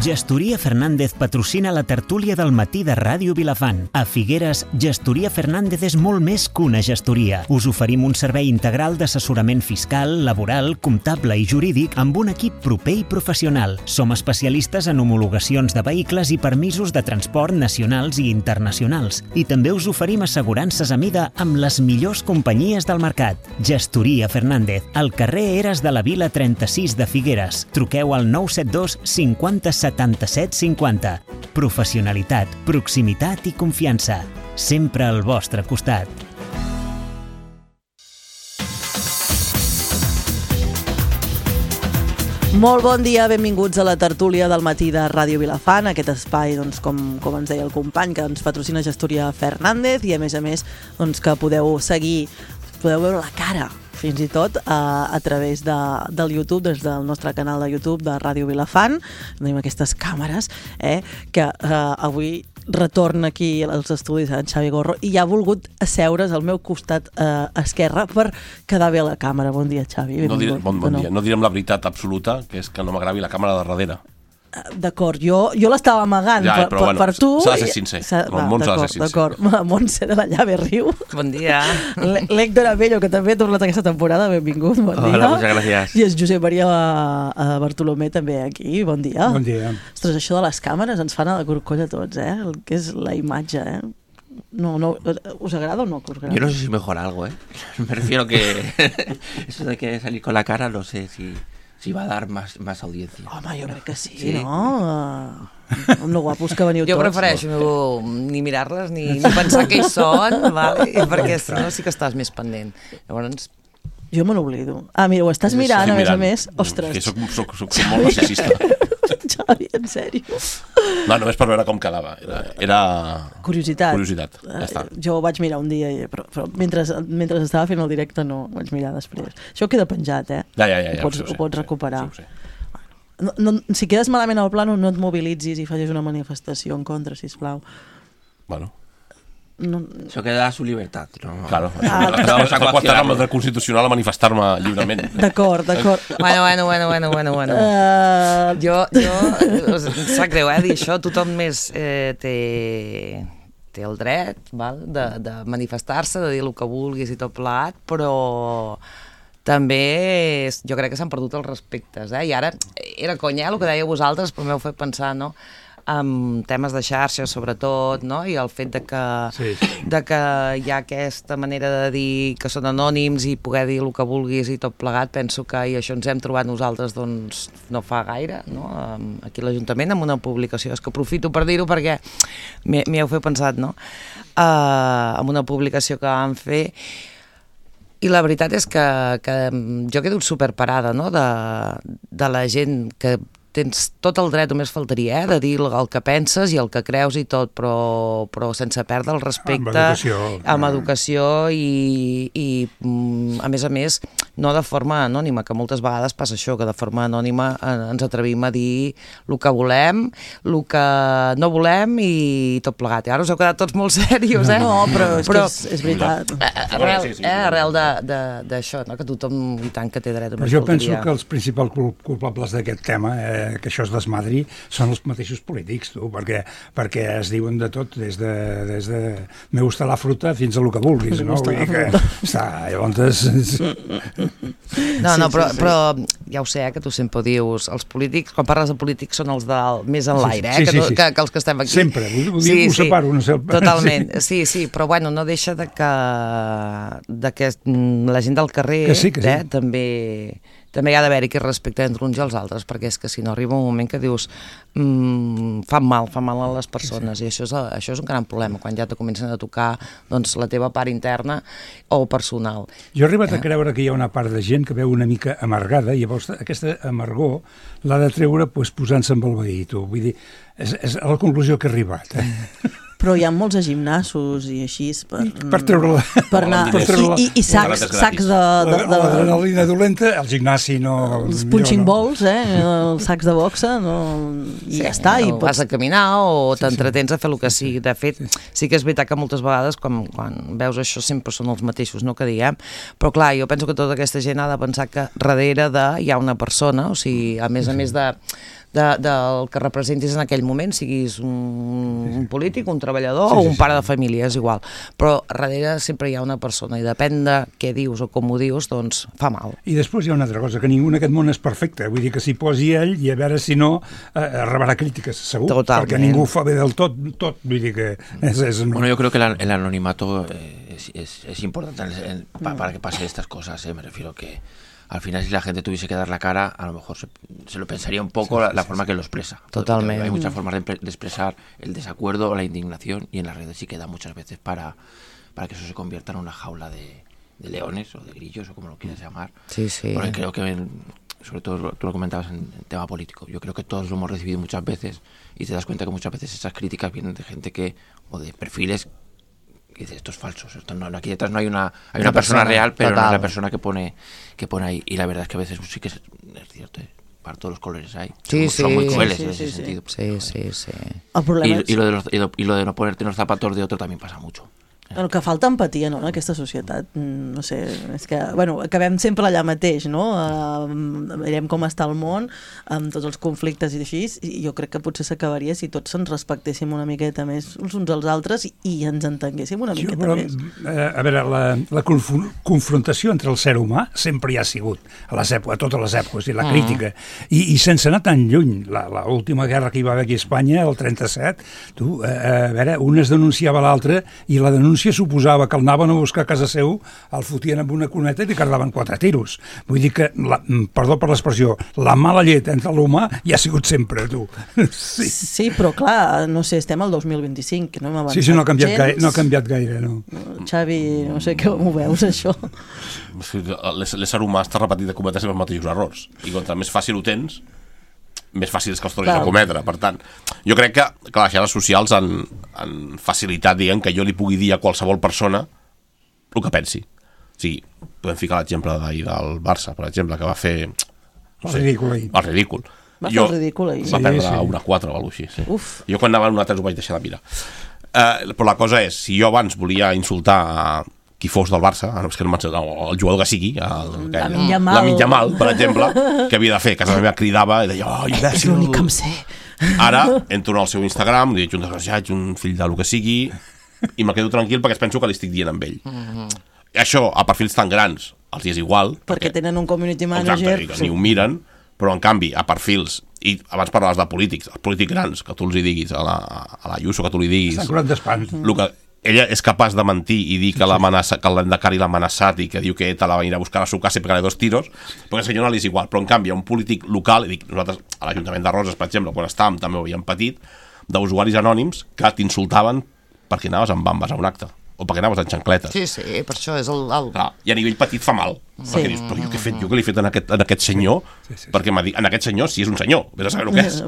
Gestoria Fernández patrocina la tertúlia del matí de Ràdio Vilafant. A Figueres, Gestoria Fernández és molt més que una gestoria. Us oferim un servei integral d'assessorament fiscal, laboral, comptable i jurídic amb un equip proper i professional. Som especialistes en homologacions de vehicles i permisos de transport nacionals i internacionals. I també us oferim assegurances a mida amb les millors companyies del mercat. Gestoria Fernández, al carrer Eres de la Vila 36 de Figueres. Truqueu al 972 50 77 50. Professionalitat, proximitat i confiança. Sempre al vostre costat. Molt bon dia, benvinguts a la tertúlia del matí de Ràdio Vilafant, aquest espai, doncs, com ens deia el company, que ens patrocina Gestoria Fernández i a més, doncs, que podeu seguir, podeu veure la cara, fins i tot a través del YouTube, des del nostre canal de YouTube de Ràdio Vilafant. Tenim aquestes càmeres, que avui retorna aquí als estudis en Xavi Gorro i ja ha volgut asseure's al meu costat esquerre per quedar bé a la càmera. Bon dia, Xavi. Bon dia. No direm la veritat absoluta, que és que no m'agravi la càmera de darrere. D'acord, jo l'estava amagant per tu. S'ha de ser sincer. El món s'ha de ser sincer. D'acord, Montse de la Llave Riu. Bon dia. L'Héctor Abello, que també ha tornat aquesta temporada, benvingut, bon dia. Hola, moltes gràcies. I el Josep Maria Bartolomé també aquí, bon dia. Bon dia. Ostres, això de les càmeres ens fan a la corcolla a tots, el que és la imatge, No, ¿os agrada o no? Yo no sé si mejora algo, Me refiero que eso de que salir con la cara, no sé si va a dar más audiencia. Home, jo crec que sí, no? Amb lo guapos que veniu tots. Jo prefereixo ni mirar-les ni pensar que hi són, vale? Perquè si no sí que estàs més pendent. Llavors... Jo me n'oblido. Mira, ho estàs mirant, a més. Ostres. Que soc molt narcisista. Xavi, en sèrio? No, només per veure com quedava. Era... Curiositat. Ja està. Jo ho vaig mirar un dia, però mentre estava fent el directe no ho vaig mirar després. Això queda penjat, Ja. Ho pots recuperar. Sí. Si quedes malament al plano, no et mobilitzis i facis una manifestació en contra, sisplau. Bueno... Això queda a su libertat, no? Claro, està qüestionant el dret constitucional a manifestar-me lliurement. D'acord. Bueno. Jo sap greu, dir això, tothom més té el dret de manifestar-se, de dir el que vulguis i tot plegat, però també jo crec que s'han perdut els respectes, I ara era conya el que dèieu vosaltres, però m'heu fet pensar, no?, amb temes de xarxes sobretot, no? I el fet de que hi ha aquesta manera de dir que són anònims i poder dir el que vulguis i tot plegat, penso que i això ens hem trobat nosaltres doncs no fa gaire, no? Aquí a l'Ajuntament amb una publicació, és que aprofito per dir-ho perquè m'hi heu fet pensat, no? Amb una publicació que vam fer i la veritat és que jo quedo superparada, no? De la gent que tens tot el dret, només faltaria, de dir el que penses i el que creus i tot, però sense perdre el respecte, amb educació i a més, no de forma anònima, que moltes vegades passa això, que de forma anònima ens atrevim a dir el que volem, el que no volem i tot plegat. I ara us heu quedat tots molt serios, No, però és veritat. Arrel d'això, que tothom i tant que té dret. Però jo penso que els principals culpables d'aquest tema, que això es desmadri, són els mateixos polítics, perquè es diuen de tot, des de me gusta la fruta fins a lo que vulguis, no? Vull dir que llavors... No, però ja ho sé, que tu sempre dius, els polítics, quan parles de polítics són els més en l'aire, que els que estem aquí. Sempre, ho separo. Totalment, sí, però bueno, no deixa de que la gent del carrer també hi ha d'haver-hi aquest respecte entre uns i els altres, perquè és que si no arriba un moment que dius fan mal a les persones, i això és un gran problema, quan ja te comencen a tocar doncs, la teva part interna o personal. Jo he arribat a creure que hi ha una part de gent que veu una mica amargada i llavors aquesta amargor l'ha de treure posant-se amb el veí, tu. Vull dir, és a la conclusió que he arribat, Però hi ha molts a gimnasos i així per treure-la. Per anar i sacs de... L'adrenalina dolenta, el gimnasi no... Els punching balls, els sacs de boxa, i ja està. Vas a caminar o t'entretens a fer el que sigui. De fet, sí que és veritat que moltes vegades quan veus això sempre són els mateixos, no que diguem, però clar, jo penso que tota aquesta gent ha de pensar que darrere hi ha una persona, o sigui, a més de del que representis en aquell moment, siguis un polític, un treballador o un pare de família, és igual. Però darrere sempre hi ha una persona i depèn de què dius o com ho dius, doncs fa mal. I després hi ha una altra cosa, que ningú en aquest món és perfecte. Vull dir que s'hi posi ell i a veure si no rebrà crítiques, segur. Totalment. Perquè ningú fa bé del tot. Vull dir que és... Bueno, yo creo que el anonimato es importante para que pase estas cosas, me refiero que al final si la gente tuviese que dar la cara, a lo mejor se lo pensaría un poco la forma que lo expresa. Totalmente. Hay muchas formas de expresar el desacuerdo o la indignación y en las redes sí queda muchas veces para que eso se convierta en una jaula de leones o de grillos o como lo quieras llamar. Sí, sí. Porque creo que, sobre todo tú lo comentabas en tema político, yo creo que todos lo hemos recibido muchas veces y te das cuenta que muchas veces esas críticas vienen de gente o de perfiles que dice, esto es falso, aquí detrás no hay una persona real, pero no es la persona que pone ahí. Y la verdad es que a veces sí que es cierto, para todos los colores hay. Son muy crueles en ese sentido. Sí. El problema Y lo de no ponerte en los zapatos de otro también pasa mucho. El que falta empatia, no?, en aquesta societat. No sé, és que, bueno, acabem sempre allà mateix, no? Veiem com està el món, amb tots els conflictes i així, i jo crec que potser s'acabaria si tots ens respectéssim una miqueta més els uns als altres i ens entenguéssim una miqueta més. A veure, la confrontació entre el ser humà sempre hi ha sigut, a totes les èpoques, i la crítica. I sense anar tan lluny, l'última guerra que hi va haver aquí a Espanya, el 37, a veure, un es denunciava l'altre i la denúncia suposava que el anaven a buscar a casa seu, el fotien amb una cuneta i li carregaven 4 tiros. Vull dir que, perdó per l'expressió, la mala llet entre l'humà hi ha sigut sempre, tu. Sí, però clar, no sé, estem al 2025, que no hem avançat gens. Sí, no ha canviat gaire, no. Xavi, no sé com ho veus, això. L'ésser humà està repetit de cometre sempre els mateixos errors. I contra més fàcil ho tens, més fàcil és que els tornis a cometre. Per tant, jo crec que les xarxes socials han facilitat, diguem, que jo li pugui dir a qualsevol persona el que pensi. O sigui, podem ficar l'exemple d'ahir del Barça, per exemple, que va fer... El ridícul ahir. El ridícul. Va fer el ridícul ahir. Va perdre 1-4 o alguna cosa així. Sí. Jo quan anava a 1-3 ho vaig deixar de mirar. Però la cosa és, si jo abans volia insultar qui fos del Barça, és que no el jugador que sigui, Lamine Yamal, per exemple, què havia de fer? Casa meva cridava i deia, oh, imbècil. És l'únic que em sé. Ara entro al seu Instagram, li dic un desgraciat, un fill de lo que sigui, i me quedo tranquil perquè penso que li estic dient amb ell. Això, a perfils tan grans, els hi és igual. Perquè tenen un community manager. Exacte, ni ho miren, però en canvi, a perfils, i abans parlaves de polítics, els polítics grans, que tu els hi diguis, a la Ayuso, que tu li diguis... Estan curant d'espant. Ella és capaç de mentir i dir que l'Endacari l'ha amenaçat i que diu que ETA la va venir a buscar a su casa i pegar-li 2 tiros, perquè al senyor no li és igual. Però en canvi, un polític local, i dic, nosaltres a l'Ajuntament de Roses, per exemple, quan estàvem també ho havíem patit, d'usuaris anònims que t'insultaven perquè anaves amb bambes a un acte o perquè anaves en xancletes. Sí, per això és el... Clar, i a nivell petit fa mal, perquè dius, però jo què li he fet en aquest senyor? Perquè m'ha dit, en aquest senyor, si és un senyor, vés a saber el que és,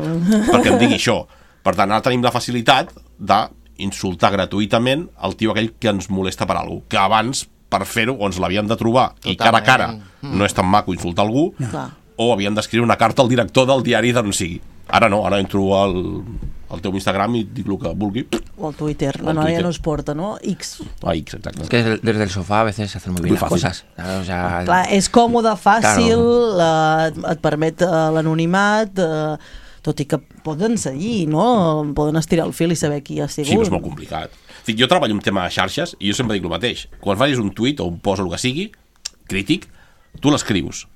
perquè em digui això. Per tant, ara tenim la facilitat de insultar gratuïtament el tio aquell que ens molesta per alguna cosa, que abans per fer-ho o ens l'havíem de trobar i cara a cara no és tan maco insultar algú, o havíem d'escriure una carta al director del diari d'on sigui. Ara no, ara entro al teu Instagram i dic el que vulgui. O al Twitter, la noia no es porta, no? X. X, exacte. Es que desde el sofá a veces se hacen muy bien las cosas. O sea, clar, és còmode, fàcil, et permet l'anonimat, tot i que poden seguir, no? Poden estirar el fil i saber qui ha sigut. Sí, però és molt complicat. Jo treballo un tema de xarxes i jo sempre dic el mateix. Quan facis un tuit o un post o el que sigui, crític, tu l'escrius.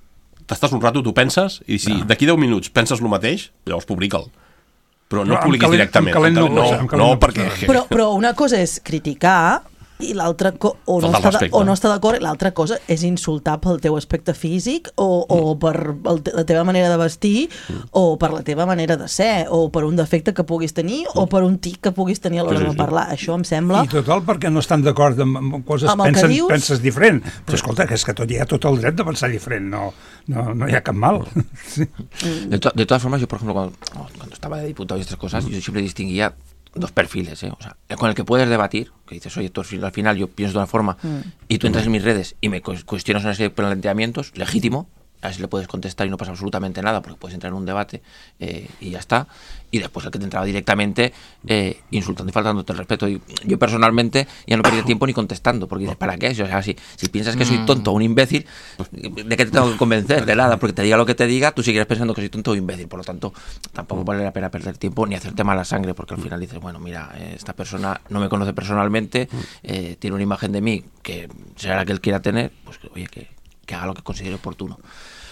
T'estàs un rato, tu penses, i si d'aquí 10 minuts penses el mateix, llavors publica'l. Però no publiquis directament. No, perquè... Però una cosa és criticar i l'altra o no està d'acord, l'altra cosa és insultar pel teu aspecte físic o per la teva manera de vestir o per la teva manera de ser o per un defecte que puguis tenir o per un tic que puguis tenir a l'hora de parlar. Això em sembla... I total perquè no estan d'acord amb coses, penses diferent. Però escolta, que és que hi ha tot el dret de pensar diferent, no hi ha cap mal. De todas formas, yo por ejemplo cuando estaba de diputado y estas cosas, yo siempre distinguía 2 perfiles, o sea, con el que puedes debatir, que dices, oye, tú al final yo pienso de una forma y tú entras en mis redes y me cuestionas una serie de planteamientos, legítimo, a ver si le puedes contestar y no pasa absolutamente nada, porque puedes entrar en un debate y ya está. Y después el que te entraba directamente insultando y faltándote el respeto. Y yo personalmente ya no perdía tiempo ni contestando, porque dices, ¿para qué? O sea, si piensas que soy tonto o un imbécil, ¿de qué te tengo que convencer? De nada, porque te diga lo que te diga, tú seguirás pensando que soy tonto o imbécil. Por lo tanto, tampoco vale la pena perder tiempo ni hacerte mala sangre, porque al final dices, bueno, mira, esta persona no me conoce personalmente, tiene una imagen de mí que será la que él quiera tener, pues oye, que haga lo que considere oportuno.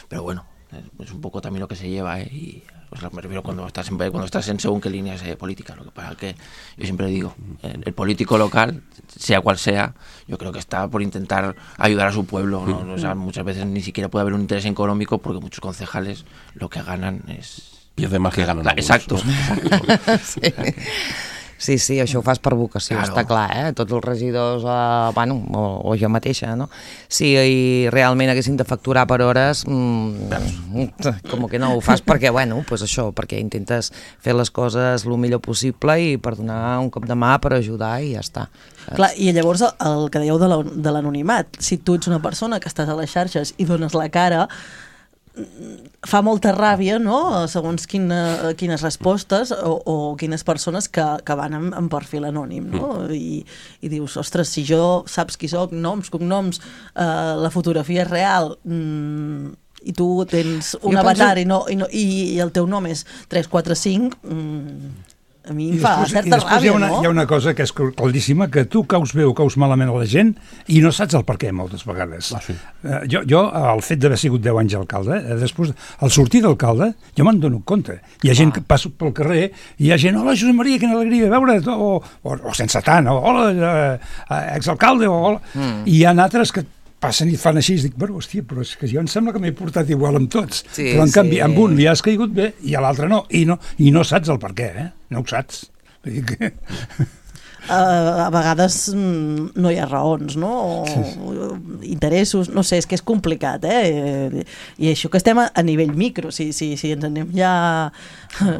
Pero bueno, es un poco también lo que se lleva, y me refiero cuando estás en según qué líneas políticas. Lo que pasa es que yo siempre digo, el político local, sea cual sea, yo creo que está por intentar ayudar a su pueblo, ¿no? O sea, muchas veces ni siquiera puede haber un interés económico, porque muchos concejales lo que ganan es... Pierde más que ganan. Exacto. Sí, això ho fas per vocació, claro. Està clar, tots els regidors, o jo mateixa, no? Si realment haguessin de facturar per hores, com que no ho fas perquè, pues això, perquè intentes fer les coses el millor possible i per donar un cop de mà, per ajudar i ja està. Clar, i llavors el que dèieu de l'anonimat, si tu ets una persona que estàs a les xarxes i dones la cara, fa molta ràbia, no?, segons quines respostes o quines persones que van en perfil anònim, no? I dius, ostres, si jo saps qui soc, noms, cognoms, la fotografia és real, i tu tens un avatar i el teu nom és 345, a mi em fa certa ràbia, no? Hi ha una cosa que és claríssima, que tu caus bé o caus malament a la gent i no saps el per què moltes vegades. Sí. Jo, el fet d'haver sigut 10 anys alcalde, després, al sortir d'alcalde, jo me'n dono compte. Hi ha gent que passa pel carrer i hi ha gent, hola, Josep Maria, quina alegria veure, o sense tant, hola, exalcalde, hola. I hi ha altres que passen i fan així, i dic, bueno, hòstia, però és que jo em sembla que m'he portat igual amb tots. Sí, però en canvi, amb un li has caigut bé i a l'altre no, i no saps el per què, no ho saps. Vull dir que... A vegades no hi ha raons, no? O interessos, no sé, és que és complicat, i això que estem a nivell micro, si ens anem ja...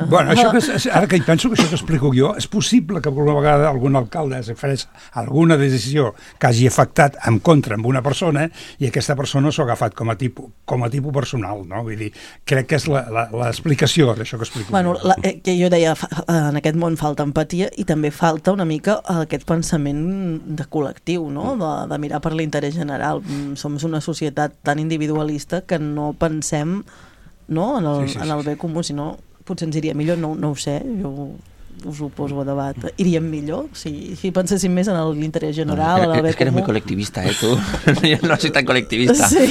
Bueno, ara que hi penso que això que explico jo, és possible que alguna vegada algun alcalde farés alguna decisió que hagi afectat en contra amb una persona i aquesta persona s'ho ha agafat com a tipus personal, no? Vull dir, crec que és l'explicació d'això que explico jo. Que jo deia, en aquest món falta empatia i també falta una mica aquest pensament de col·lectiu, no? De mirar per l'interès general. Som una societat tan individualista que no pensem, no, en el bé comú, sinó potser ens iria millor, no ho sé, jo us ho poso a debat. Iríem millor si penséssim més en l'interès general, en el bé comú. És que eres muy colectivista, tu. Jo no soy tan colectivista. Sí,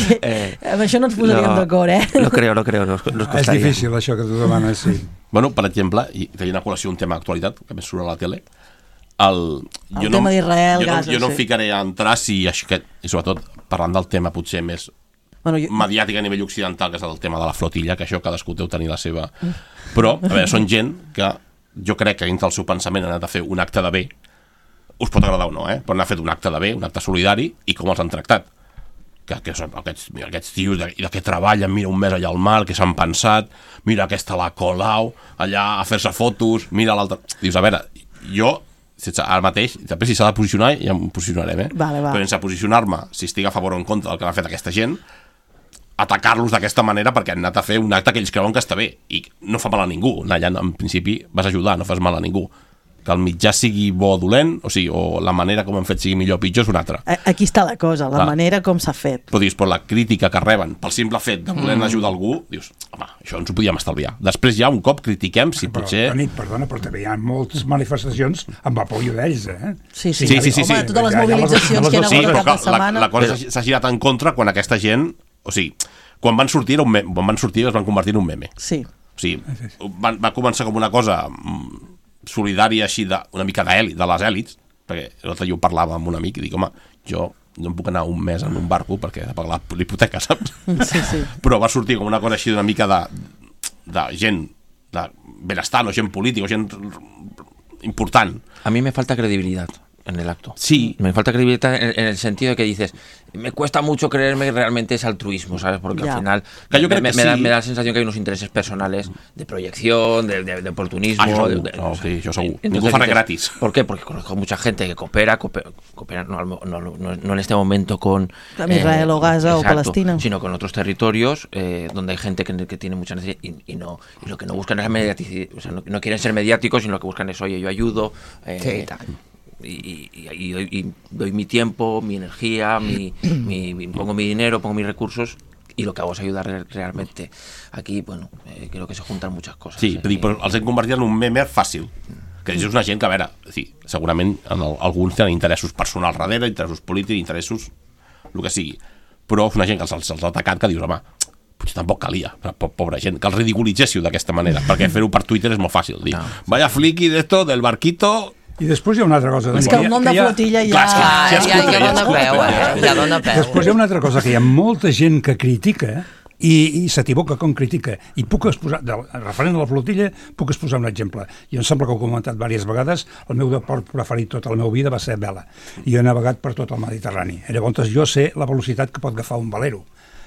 amb això no ens posaríem d'acord, Lo creo, nos costaría. És difícil això que tu demanes, sí. Bueno, per exemple, i tenim a col·lació un tema d'actualitat, que més surt a la tele, el tema d'Israel, Gaza. Jo no em ficaré a entrar i sobretot parlant del tema potser més mediàtic a nivell occidental, que és el tema de la flotilla, que això cadascú deu tenir la seva... Però, a veure, són gent que jo crec que dintre del seu pensament han anat a fer un acte de bé, us pot agradar o no, però han fet un acte de bé, un acte solidari, i com els han tractat. Que són aquests tios de que treballen, mira un mes allà al mar, que s'han pensat, mira aquesta la Colau, allà a fer-se fotos, mira l'altra... Dius, a veure, jo... Ara mateix, després si s'ha de posicionar ja em posicionarem, però sense posicionar-me si estic a favor o en contra del que ha fet aquesta gent, atacar-los d'aquesta manera perquè han anat a fer un acte que ells creuen que està bé i no fa mal a ningú, allà en principi vas ajudar, no fas mal a ningú. Que el mitjà sigui bo o dolent, o la manera com hem fet sigui millor o pitjor és una altra. Aquí està la cosa, la manera com s'ha fet. Però dius, per la crítica que reben pel simple fet de voler ajudar algú, dius, home, això ens ho podíem estalviar. Després ja un cop critiquem si potser... Perdona, però també hi ha moltes manifestacions amb apoyo d'ells, Sí. Home, totes les mobilitzacions que hi ha hagut a cap de setmana... La cosa s'ha girat en contra quan aquesta gent... quan van sortir es van convertir en un meme. Sí. Va començar com una cosa... solidària així una mica de les èlits, perquè l'altre dia ho parlava amb un amic i dic, home, jo no em puc anar un mes en un barco perquè he de pagar l'hipoteca, saps? Sí. Però va sortir com una cosa així d'una mica de gent de benestant o gent política o gent important. A mí me falta credibilidad. en el acto. Sí. Me falta credibilidad en el sentido de que dices, me cuesta mucho creerme que realmente es altruismo, ¿sabes? Porque al final me da la sensación que hay unos intereses personales de proyección, de oportunismo. Sí, yo segur. Ningú fa res gratis. ¿Por qué? Porque conozco mucha gente que coopera no en este momento con Israel o Gaza o Palestina, sino con otros territorios donde hay gente que tiene mucha necesidad y lo que no buscan es mediaticidad, o sea, no quieren ser mediáticos, sino lo que buscan es, oye, yo ayudo, y doy mi tiempo, mi energía, pongo mi dinero, pongo mis recursos, i el que hago és ayudar realmente. Aquí, bueno, creo que se juntan muchas cosas. Sí, però els hem convertit en un meme fàcil, que és una gent que, a veure, sí, segurament alguns tenen interessos personals darrere, interessos polítics, interessos, el que sigui, però és una gent que se'ls ha atacat que dius, home, potser tampoc calia, pobra gent, que els ridiculitzéssiu d'aquesta manera, perquè fer-ho per Twitter és molt fàcil, dir, vaya fliqui d'esto, del barquito... I després hi ha una altra cosa. És que el nom de flotilla ja dona peu. Després hi ha una altra cosa, que hi ha molta gent que critica i s'equivoca com critica. I puc exposar, referent a la flotilla, puc exposar un exemple. Jo em sembla que ho he comentat diverses vegades, el meu deport preferit tota la meva vida va ser vela. I he navegat per tot el Mediterrani. Llavors jo sé la velocitat que pot agafar un velero.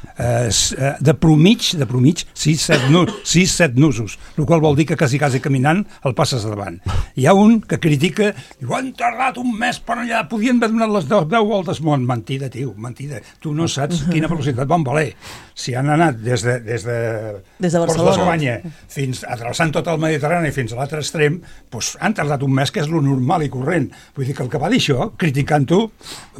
De promig 6-7 nusos, el qual vol dir que quasi caminant el passes davant. Hi ha un que critica, diu, han tardat un mes per allà, podien haver donat les 10 voltes món. Mentida, tio, mentida. Tu no saps quina velocitat van valer. Si han anat des de Barcelona fins atravessant tot el Mediterrani fins a l'altre extrem, doncs han tardat un mes, que és lo normal i corrent. Vull dir que el que va dir això, criticant-ho,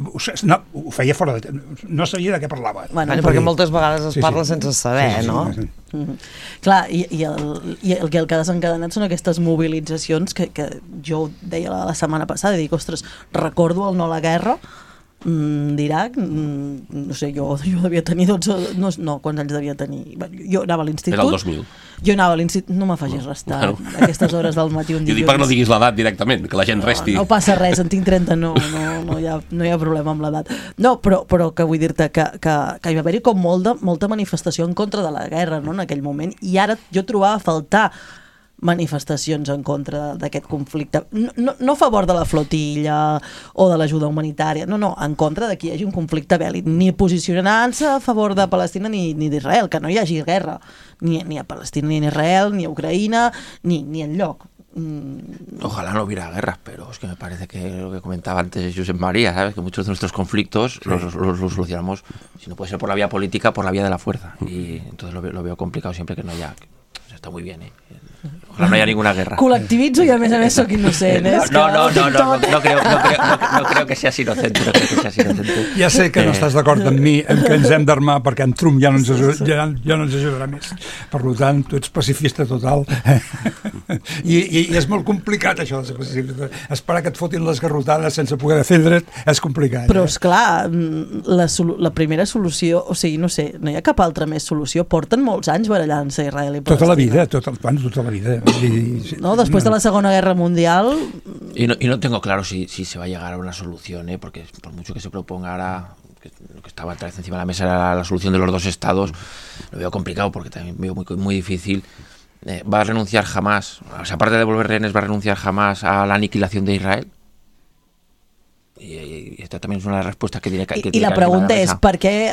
ho feia fora de... no sabia de què parlava. Bueno, perquè moltes vegades es parla sense saber, no? Clar, i el que ha desencadenat són aquestes mobilitzacions que jo deia la setmana passada, i dic, ostres, recordo el no a la guerra d'Iraq, no sé, jo devia tenir 12, no, quants anys devia tenir? Jo anava a l'institut. Era el 2000. Jo anava a l'institut, no me facis restar aquestes hores del matí un dilluns. Jo dic perquè no diguis l'edat directament, que la gent resti. No passa res, en tinc 30, no hi ha problema amb l'edat. No, però que vull dir-te que hi va haver-hi com molta manifestació en contra de la guerra, no?, en aquell moment, i ara jo trobava a faltar manifestacions en contra d'aquest conflicte, no a favor de la flotilla o de l'ajuda humanitària, no, en contra de que hi hagi un conflicte bèl·lic, ni posicionant-se a favor de Palestina ni d'Israel, que no hi hagi guerra ni a Palestina ni a Israel, ni a Ucraïna, ni enlloc. Ojalá no hubiera guerras, pero es que me parece que lo que comentaba antes Josep María, ¿sabes? Que muchos de nuestros conflictos los solucionamos, si no puede ser por la vía política, por la vía de la fuerza, y entonces lo veo complicado siempre que no haya... Está muy bien, ojalá no haya ninguna guerra. Col·lectivitzo i a més soc innocent. No creo que seas inocente. Ja sé que no estàs d'acord amb mi en que ens hem d'armar perquè en Trump ja no ens ajudarà més. Per tant, tu ets pacifista total. I és molt complicat això de ser pacifista. Esperar que et fotin les garrotades sense poder defendre't és complicat. Però esclar, la primera solució, o sigui, no sé, no hi ha cap altra més solució. Porten molts anys barallant-se Israel i Palestina. Tota la vida. No, después de la Segunda Guerra Mundial... Y no tengo claro si se va a llegar a una solución, porque por mucho que se proponga ahora, lo que estaba otra vez encima de la mesa era la solución de los dos estados, lo veo complicado porque también veo muy difícil. ¿Va a renunciar Hamás? O sea, aparte de devolver rehenes, ¿va a renunciar Hamás a la aniquilación de Israel? Y esta también es una de las respuestas que tiene que... I la pregunta és, per què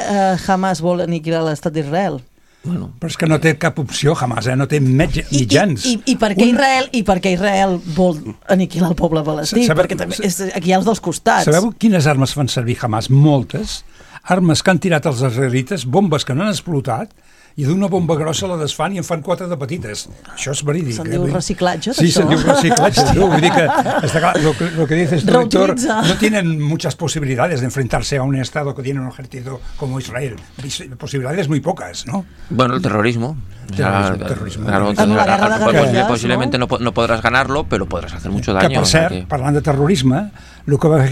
Hamás vol aniquilar l'estat d'Israel? Bueno, però és que no té cap opció Hamás, no té mitjans. I per què Israel vol aniquilar el poble palestí? Perquè també aquí hi ha els dos costats. Sabeu quines armes fan servir Hamás? Moltes. Armes que han tirat els israelites, bombes que no han explotat, i d'una bomba grossa la desfan i en fan 4 de petites. Això és verídic. Se'n diu reciclatge, d'això? Sí, se'n diu reciclatge. Vull dir que, está claro, lo que dice este doctor, no tienen muchas posibilidades de enfrentarse a un estado que tiene un ejército como Israel. Posibilidades muy pocas, ¿no? Bueno, el terrorismo. Terrorismo. Posiblemente no podràs ganarlo, però podràs hacer mucho daño. Que, per cert, parlant de terrorisme, el que va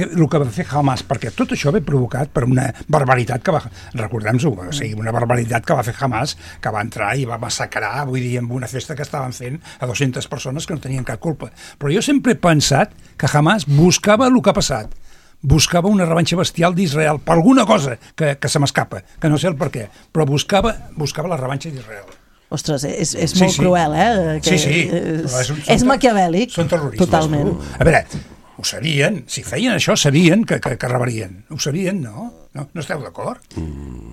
fer Hamás, perquè tot això ve provocat per una barbaritat que va... Recordem-ho, o sigui, una barbaritat que va fer Hamás, que va entrar i va massacrar, vull dir, en una festa que estaven fent a 200 persones que no tenien cap culpa. Però jo sempre he pensat que Hamás buscava el que ha passat. Buscava una revanxa bestial d'Israel per alguna cosa que se m'escapa, que no sé el per què, però buscava la revanxa d'Israel. Ostres, és molt cruel, eh? Sí. És maquiavèlic. Són terroristes. Totalment. A veure, ho sabien, si feien això sabien que rebrien, ho sabien, no? No esteu d'acord?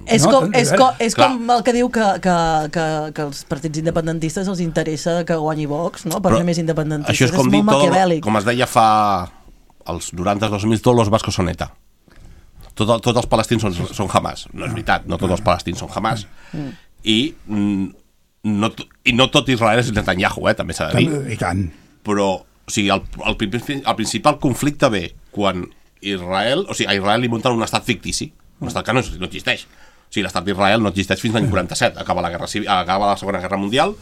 És com el que diu que els partits independentistes els interessa que guanyi Vox, no? Per ser més independentistes. Això és com dir, com es deia fa els 90-2000, tots els bascos són ETA. Tots els palestins són Hamas. No és veritat, no tots els palestins són Hamas. I no tot Israel és Netanyahu, també s'ha de dir. I tant. Però, o sigui, el principal conflicte ve quan Israel, o sigui, a Israel li munten un estat fictici, un estat que no existeix. O sigui, l'estat d'Israel no existeix fins l'any 47, acaba la Segona Guerra Mundial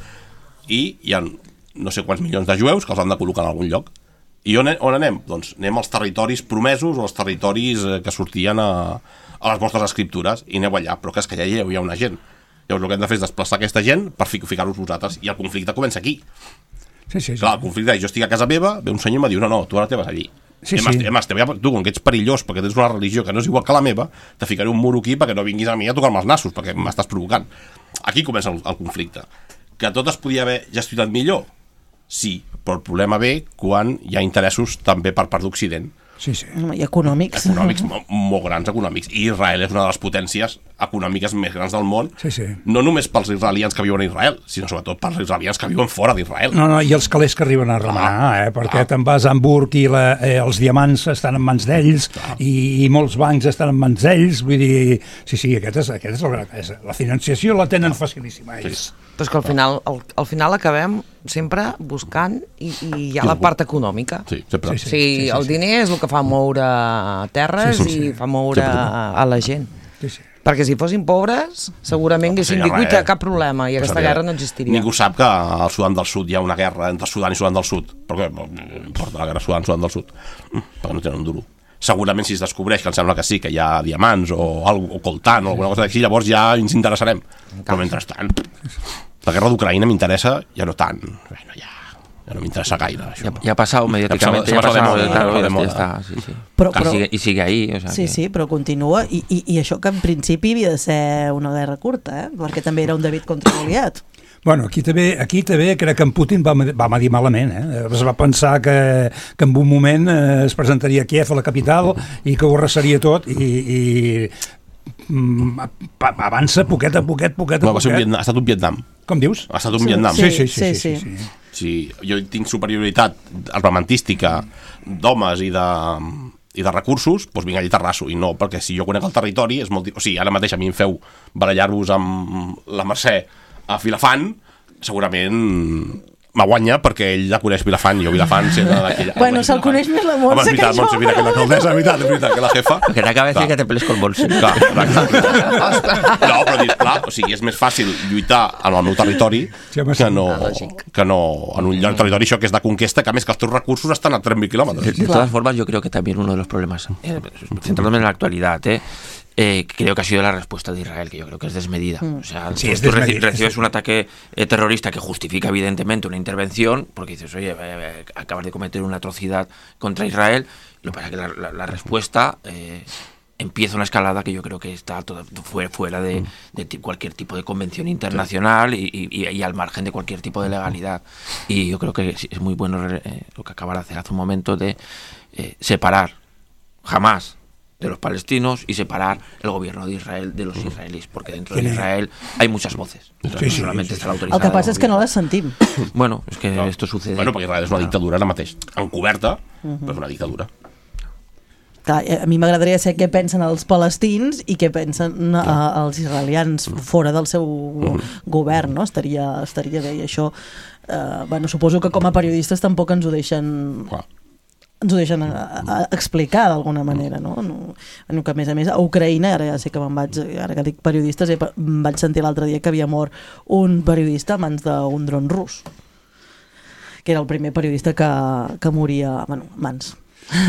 i hi ha no sé quants milions de jueus que els han de col·locar en algun lloc. I on anem? Doncs anem als territoris promesos o als territoris que sortien a les vostres escriptures i aneu allà, però que és que ja hi ha una gent. Llavors el que hem de fer és desplaçar aquesta gent per ficar-vos vosaltres i el conflicte comença aquí. Sí. Clar, el conflicte és, jo estic a casa meva, ve un senyor i em diu, no, tu ara te vas allí. Tu, com que ets perillós perquè tens una religió que no és igual que la meva, te ficaré un muro aquí perquè no vinguis a mi a tocar-me els nassos, perquè m'estàs provocant. Aquí comença el conflicte. Que tot es podia haver gestionat millor? Sí, però el problema ve quan hi ha interessos també per part d'Occident. Sí. I econòmics. Econòmics, molt grans econòmics. I Israel és una de les potències econòmiques més grans del món. Sí. No només pels israelians que viuen a Israel, sinó sobretot pels israelians que viuen fora d'Israel. No, i els calés que arriben a remenar, perquè te'n vas a Hamburg i els diamants estan en mans d'ells i molts bancs estan en mans d'ells. Vull dir, sí, aquest és la financiació la tenen facilíssima ells. Però és que al final acabem sempre buscant i hi ha la part econòmica. Sí, sempre. Sí, el diner és el que fa moure terres i fa moure a la gent. Sí. Perquè si fossin pobres, segurament haguessin dit cap problema i aquesta guerra no existiria. Ningú sap que al Sudan del Sud hi ha una guerra entre Sudan i Sudan del Sud. Perquè no importa la guerra Sudan del Sud. Perquè no tenen un duro. Segurament si es descobreix que em sembla que sí, que hi ha diamants o coltan o alguna cosa així, llavors ja ens interessarem. Però mentrestant, la guerra d'Ucraïna m'interessa ja no tant. Bueno, ja no m'interessa gaire, això. Ya ha pasado mediáticamente, ya está. Sí. Però, y sigue ahí. O sea, sí, però continua. I això que en principi havia de ser una guerra curta, perquè també era un David contra Goliat. Bueno, aquí també crec que en Putin va medir malament. Es va pensar que en un moment es presentaria a Kiev, a la capital, i que ho arrasaria tot i avança poquet a poquet. Ha estat un Vietnam. Com dius? Ha estat un Vietnam. Sí. Sí, jo tinc superioritat armamentística d'homes i de recursos, doncs vinc allà i t'arraso. I no, perquè si jo conec el territori és molt... O sigui, ara mateix a mi em feu barallar-vos amb la Mercè a Vilafant, segurament m'aguanya perquè ell ja coneix Vilafant i jo Vilafant sent d'aquella... Bueno, se'l coneix més la Montse que jo. Montse, mira, que l'alcaldessa, és veritat, que la jefa... Que t'acaba de dir que te peles con Montse. Clar. No, però dius, clar, o sigui, és més fàcil lluitar en el meu territori que no en un territori això que és de conquesta, que a més que els teus recursos estan a 3.000 kilómetros. De todas formas, yo creo que también uno de los problemas, centrándome en la actualidad, creo que ha sido la respuesta de Israel, que yo creo que es desmedida. O sea, tú recibes un ataque terrorista que justifica evidentemente una intervención, porque dices, oye, acabas de cometer una atrocidad contra Israel. Lo que pasa es que la respuesta empieza una escalada que yo creo que está fuera de cualquier tipo de convención internacional y al margen de cualquier tipo de legalidad. Y yo creo que es muy bueno lo que acaba de hacer hace un momento de separar jamás de los palestinos y separar el gobierno de Israel de los israelíes, porque dentro de Israel hay muchas voces. Solamente está la autorizada. El que passa és que no les sentim. Bueno, es que esto sucede. Bueno, perquè Israel és una dictadura ara mateix, encoberta, però és una dictadura. Clar, a mi m'agradaria saber què pensen els palestins i què pensen els israelians fora del seu govern, no? Estaria bé, i això bueno, suposo que com a periodistes tampoc ens ho deixen explicar d'alguna manera, no? Que a més a Ucraïna, ara ja sé que ara que dic periodistes, em vaig sentir l'altre dia que havia mort un periodista a mans d'un dron rus, que era el primer periodista que moria a mans.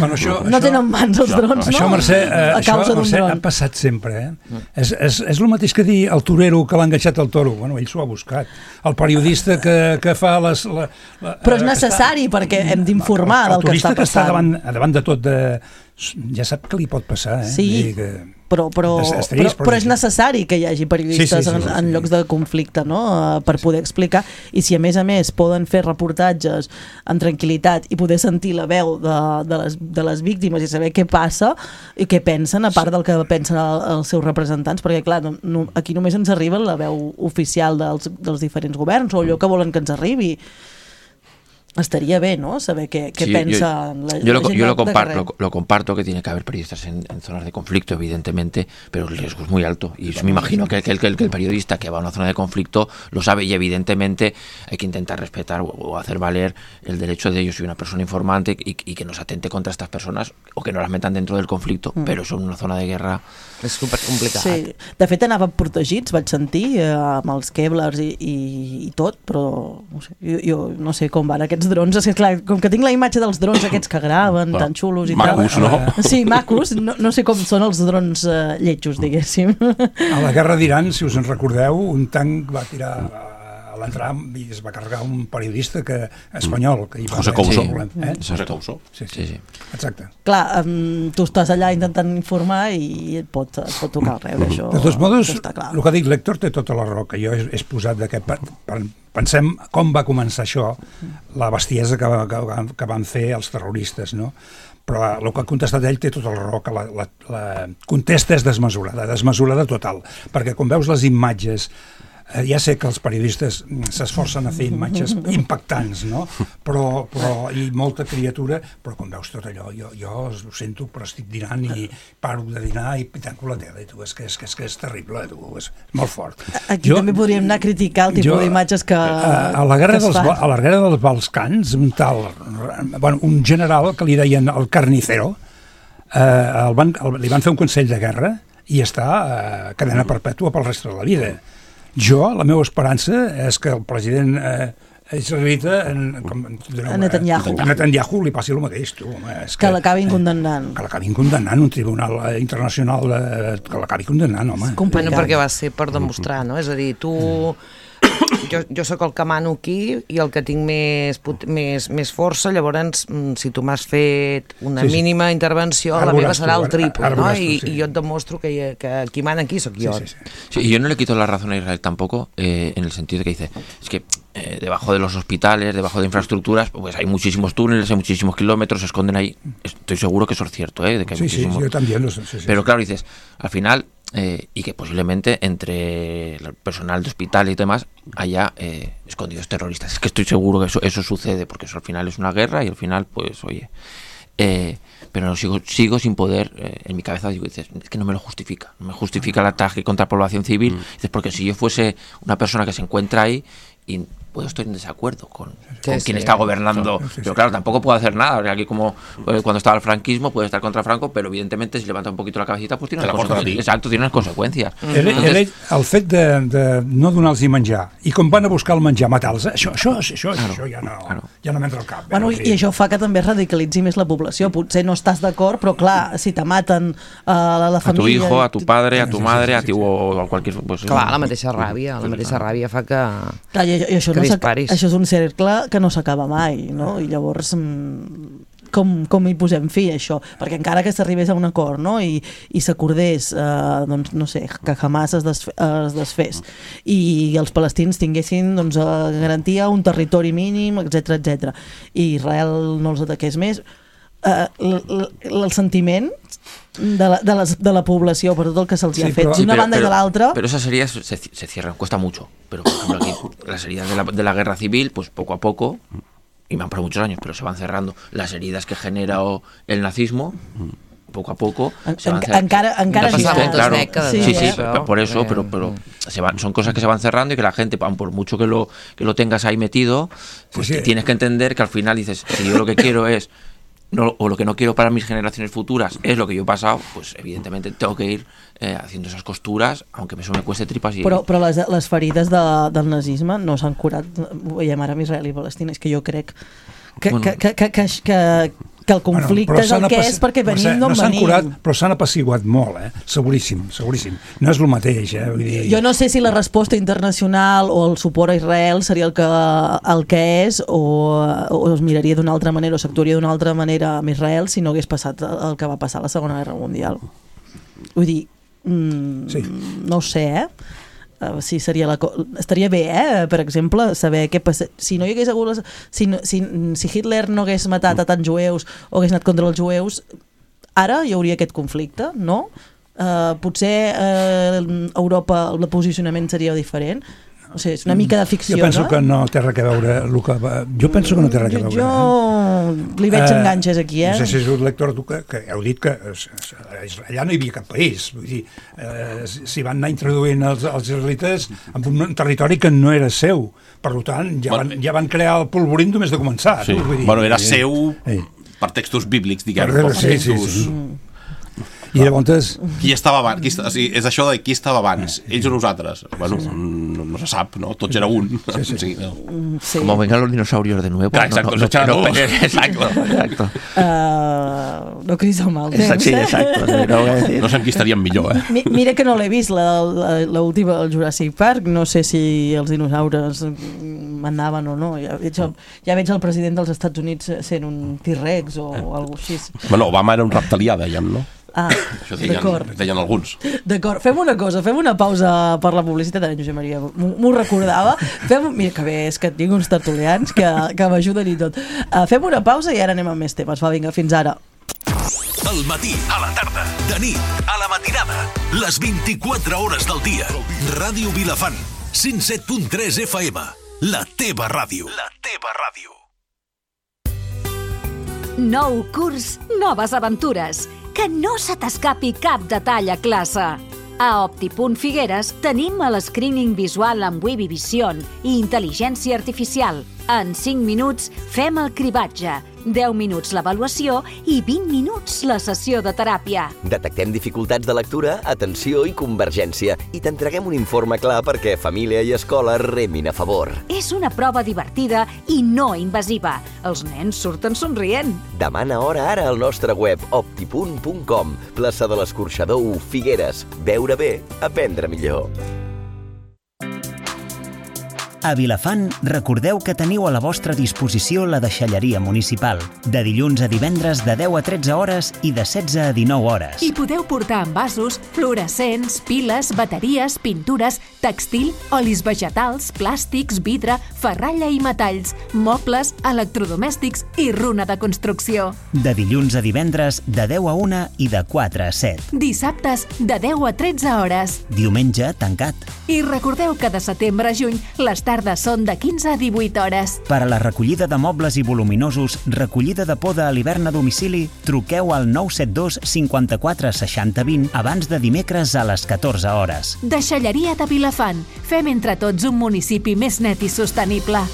Bueno, no tenen mans els drons, això, no? Mercè, a causa d'un dron. Ha passat sempre, És el mateix que dir el torero que l'ha enganxat al toro. Bueno, ell s'ho ha buscat. El periodista que fa les... Però és necessari perquè hem d'informar del que està passant. El turista que està davant de tot ja sap què li pot passar, eh? Sí, però és necessari que hi hagi periodistes en llocs de conflicte, no? Per poder explicar, i si a més poden fer reportatges en tranquil·litat i poder sentir la veu de les víctimes i saber què passa i què pensen, a part del que pensen els seus representants, perquè clar, aquí només ens arriba la veu oficial dels diferents governs o allò que volen que ens arribi. Estaría bien, ¿no? Saber qué piensa la gente. Yo lo comparto que tiene que haber periodistas en zonas de conflicto, evidentemente, pero el riesgo es muy alto. Y me imagino que el periodista que va a una zona de conflicto lo sabe, y evidentemente hay que intentar respetar o hacer valer el derecho de ellos. Soy una persona informante y que no se atente contra estas personas o que no las metan dentro del conflicto, pero eso en una zona de guerra és supercomplicat. Sí. De fet, anaven protegits, vaig sentir, amb els Kevlars i tot, però no sé, jo no sé com van aquests drons. És que, clar, com que tinc la imatge dels drons aquests que graven, tan xulos i macos, tal. No? Sí, macos. No sé com són els drons lletjos, diguéssim. A la guerra d'Iran, si us en recordeu, un tanc va tirar a l'entrar i es va carregar un periodista espanyol. Que hi va José Couso. José Couso. Sí. Exacte. Clar, tu estàs allà intentant informar i et pot tocar el rebre, això. De tots modos, el que ha dit l'Héctor té tota la raó, que jo he posat pensem com va començar això, la bestiesa que van fer els terroristes, no? Però el que ha contestat ell té tota la raó, que la contesta és desmesurada total, perquè quan veus les imatges, ja sé que els periodistes s'esforcen a fer imatges impactants, no? Però i molta criatura, però quan veus tot allò, jo ho sento, però estic dinant i paro de dinar i tanco la tele, tu, és que és terrible, tu, és molt fort. Aquí també podríem anar a criticar el tipus d'imatges que a la guerra dels Balcans, un general que li deien el carnicero, li van fer un consell de guerra i està cadena perpètua pel reste de la vida. La meva esperança és que el president israelita a Netanyahu li passi el mateix, tu. Que l'acabin condemnant. Que l'acabin condemnant, un tribunal internacional que l'acabi condemnant, home. Bueno, perquè va ser per demostrar, no? És a dir, tu... Jo sóc el que mano aquí i el que tinc més força, llavors si tu m'has fet una mínima intervenció, la meva serà el triple, ¿no? Y yo et demostro que qui mana aquí soc jo. Sí, y yo no le quito la razón a Israel tampoco, en el sentido de que dice, es que debajo de los hospitales, debajo de infraestructuras, pues hay muchísimos túneles, hay muchísimos kilómetros, se esconden ahí. Estoy seguro que eso es cierto, de que hay muchísimos... yo también lo sé. Pero claro, dices, al final... y que posiblemente entre el personal de hospital y demás haya escondidos terroristas. Es que estoy seguro que eso sucede, porque eso al final es una guerra y al final, pues, oye... pero no, sigo sin poder, en mi cabeza digo, dices, es que no me lo justifica. No me justifica el ataque contra la población civil. Dices, porque si yo fuese una persona que se encuentra ahí y puedo estar en desacuerdo con quien está gobernando, pero claro, tampoco puedo hacer nada, porque aquí como cuando estaba el franquismo puede estar contra Franco, pero evidentemente si levanta un poquito la cabecita pues tiene unas consecuencias. Exacto, tiene unas consecuencias. El fet de no donar-los menjar i com van a buscar el menjar matar-los, això ja no m'entra al cap. Bueno, i això fa que també radicalitzi més la població. Potser no estàs d'acord, però clar, si te maten a la família... A tu hijo, a tu padre, a tu madre, a ti o a cualquier... Clar, la mateixa ràbia fa que... Clar, i això és un cercle que no s'acaba mai, no? I llavors com hi posem fi a això? Perquè encara que s'arribés a un acord, no? I s'acordés, doncs, no sé, que Hamas es desfés i els palestins tinguessin garantia un territori mínim, etc, i Israel no els ataqués més, el sentiment de la població per tot el que se'ls ha fet d'una banda i de l'altra. Pero esas heridas se cierran, cuesta mucho, pero por ejemplo aquí las heridas de la guerra civil, pues poco a poco, y me han pasado muchos años, pero se van cerrando. Las heridas que genera el nazismo, poco a poco se van cerrando. Encara claro, sí, por eso, pero son cosas que se van cerrando y que la gente, por mucho que lo tengas ahí metido, pues tienes que entender que al final dices, si yo lo que quiero es o lo que no quiero para mis generaciones futuras es lo que yo he pasado, pues evidentemente tengo que ir haciendo esas costuras, aunque eso me cueste tripas. Però les ferides del nazisme no s'han curat, ho veiem ara amb Israel i Palestina, és que jo crec que que el conflicte és el que és perquè venim d'on venim. Curat, però s'han apaciguat molt, seguríssim. No és el mateix, Vull dir... Jo no sé si la resposta internacional o el suport a Israel seria el que és o es miraria d'una altra manera o s'actuaria d'una altra manera amb Israel si no hagués passat el que va passar a la Segona Guerra Mundial. Vull dir, no ho sé, sí, estaria bé, per exemple, saber què passa si no hi hagués hagut si Hitler no hagués matat a tants jueus o hagués anat contra els jueus, ara hi hauria aquest conflicte, no? Potser a Europa el posicionament seria diferent. O sigui, és una mica de ficció, jo penso que no té res a veure jo penso que no té res a veure. Jo li veig enganxes aquí, No sé si és un lector que heu dit que allà no hi havia cap país, vull dir, s'hi van anar introduint els israelites en un territori que no era seu, per tant ja van crear el polvorín només de començar. Sí. Bueno, era seu per textos bíblics, diguem, per textos... I llavors... Qui estava abans? És això de qui estava abans, ells o nosaltres. Bueno, no se sap, ¿no? Tots era un. Sí. Como vengan los dinosaurios de nuevo. Exacto, exacto. No cridis el mal temps. Sí, exacto. No sé en qui estaríem millor, Mira que no l'he vist, l'última, el Jurassic Park, no sé si els dinosaures manaven o no. Ja veig el president dels Estats Units sent un T-Rex o alguna cosa així. Bueno, Obama era un reptilià, dèiem, no? Això deien alguns. D'acord, fem una cosa, fem una pausa per la publicitat, Josep Maria m'ho recordava, mira que bé és que tinc uns tertulians que m'ajuden i tot. Fem una pausa i ara anem amb més temes. Va, vinga, fins ara. Al matí, a la tarda, de nit, a la matinada, les 24 hores del dia. Ràdio Vilafant, 107.3 FM, la teva ràdio. La teva ràdio. Nou curs, noves aventures. Que no se t'escapi cap detall a classe. A Opti.Figueres tenim el screening visual amb Webby Vision i intel·ligència artificial. En 5 minuts fem el cribatge, 10 minuts l'avaluació i 20 minuts la sessió de teràpia. Detectem dificultats de lectura, atenció i convergència i t'entreguem un informe clar perquè família i escola remin a favor. És una prova divertida i no invasiva. Els nens surten somrient. Demana hora ara al nostre web opti.com, plaça de l'Escorxador 1, Figueres. Veure bé, aprendre millor. A Vilafant, recordeu que teniu a la vostra disposició la deixalleria municipal, de dilluns a divendres de 10 a 13 hores i de 16 a 19 hores. I podeu portar envasos, fluorescents, piles, bateries, pintures, textil, olis vegetals, plàstics, vidre, ferralla i metalls, mobles, electrodomèstics i runa de construcció. De dilluns a divendres de 10 a 1 i de 4 a 7. Dissabtes de 10 a 13 hores. Diumenge tancat. I recordeu que de setembre a juny les tardes són de 15 a 18 hores. Per a la recollida de mobles i voluminosos, recollida de poda a l'hivern a domicili, truqueu al 972 54 60 20 abans de dimecres a les 14 hores. Deixalleria de Vilafant. Fem entre tots un municipi més net i sostenible.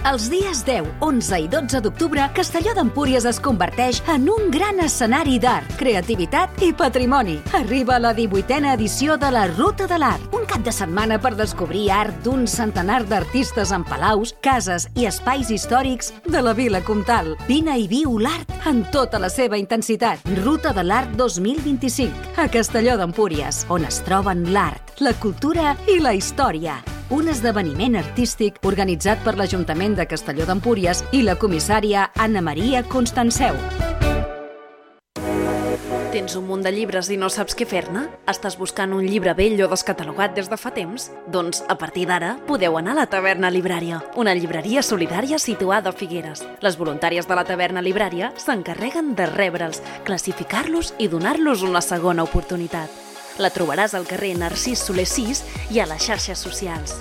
Els dies 10, 11 i 12 d'octubre, Castelló d'Empúries es converteix en un gran escenari d'art, creativitat i patrimoni. Arriba la 18a edició de la Ruta de l'Art, un cap de setmana per descobrir art d'un centenar d'artistes en palaus, cases i espais històrics de la Vila Comtal. Vine i viu l'art en tota la seva intensitat. Ruta de l'Art 2025, a Castelló d'Empúries, on es troben l'art, la cultura i la història. Un esdeveniment artístic organitzat per l'Ajuntament de Castelló d'Empúries i la comissària Anna Maria Constanceu. Tens un munt de llibres i no saps què fer-ne? Estàs buscant un llibre vell o descatalogat des de fa temps? Doncs, a partir d'ara, podeu anar a la Taverna Librària, una llibreria solidària situada a Figueres. Les voluntàries de la Taverna Librària s'encarreguen de rebre'ls, classificar-los i donar-los una segona oportunitat. La trobaràs al carrer Narcís Soler 6 i a les xarxes socials.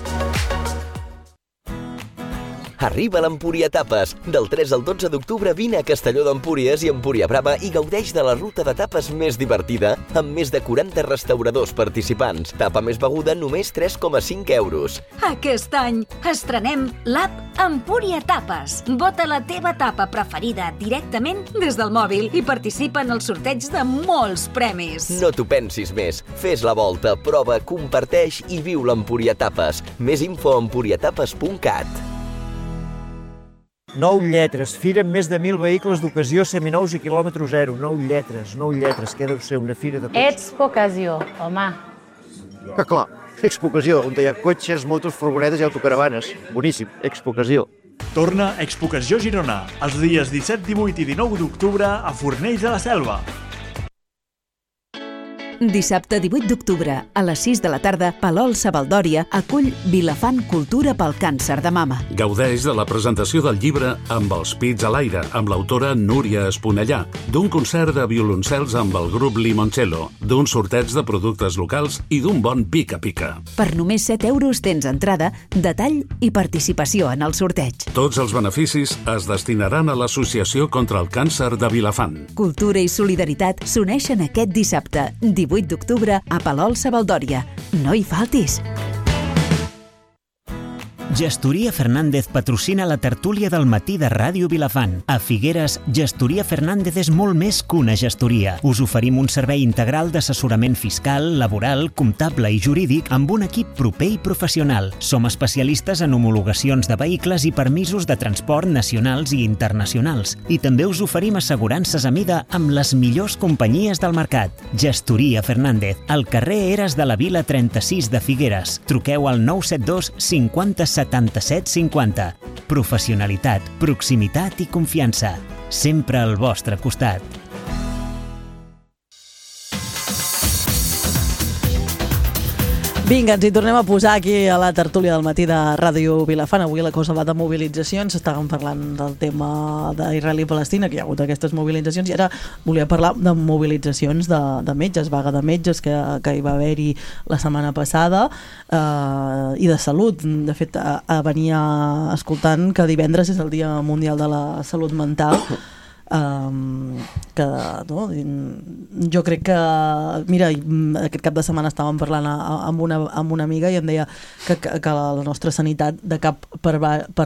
Arriba l'Empúria Tapes. Del 3 al 12 d'octubre vine a Castelló d'Empúries i Empúria Brava i gaudeix de la ruta de tapes més divertida amb més de 40 restauradors participants. Tapa més beguda només 3,5 euros. Aquest any estrenem l'app Empúria Tapes. Vota la teva tapa preferida directament des del mòbil i participa en el sorteig de molts premis. No t'ho pensis més. Fes la volta, prova, comparteix i viu l'Empúria Tapes. Més info a empuriatapes.cat. 9 lletres, fira amb més de 1.000 vehicles d'ocasió seminous i quilòmetre zero. 9 lletres, què deu ser una fira de cotxes. Expo Ocasió, home. Que clar, Expo Ocasió, on hi ha cotxes, motos, furgonetes i autocaravanes. Boníssim, Expo Ocasió. Torna Expo Ocasió Girona, els dies 17, 18 i 19 d'octubre a Fornells de la Selva. Dissabte 18 d'octubre, a les 6 de la tarda, Palol Savaldòria acull Vilafant Cultura pel càncer de mama. Gaudeix de la presentació del llibre Amb els pits a l'aire, amb l'autora Núria Esponellà, d'un concert de violoncels amb el grup Limoncello, d'un sorteig de productes locals i d'un bon pica-pica. Per només 7 euros tens entrada, detall i participació en el sorteig. Tots els beneficis es destinaran a l'Associació contra el Càncer de Vilafant. Cultura i solidaritat s'uneixen aquest dissabte, 18 d'octubre, a Palol Savaldòria. No hi faltis! Gestoria Fernández patrocina la tertúlia del matí de Ràdio Vilafant. A Figueres, Gestoria Fernández és molt més que una gestoria. Us oferim un servei integral d'assessorament fiscal, laboral, comptable i jurídic amb un equip proper i professional. Som especialistes en homologacions de vehicles i permisos de transport nacionals i internacionals. I també us oferim assegurances a mida amb les millors companyies del mercat. Gestoria Fernández, al carrer Eres de la Vila 36 de Figueres. Truqueu al 972 50 77 50. Professionalitat, proximitat i confiança. Sempre al vostre costat. Vinga, ens hi tornem a posar aquí a la tertúlia del matí de Ràdio Vilafant. Avui la cosa va de mobilitzacions. Estàvem parlant del tema d'Israel i Palestina, que hi ha hagut aquestes mobilitzacions, i ara volia parlar de mobilitzacions de metges, vaga de metges que hi va haver-hi la setmana passada, i de salut. De fet, venia escoltant que divendres és el Dia Mundial de la Salut Mental, que no, jo crec que, mira, aquest cap de setmana estàvem parlant amb una amiga i em deia que la nostra sanitat de cap per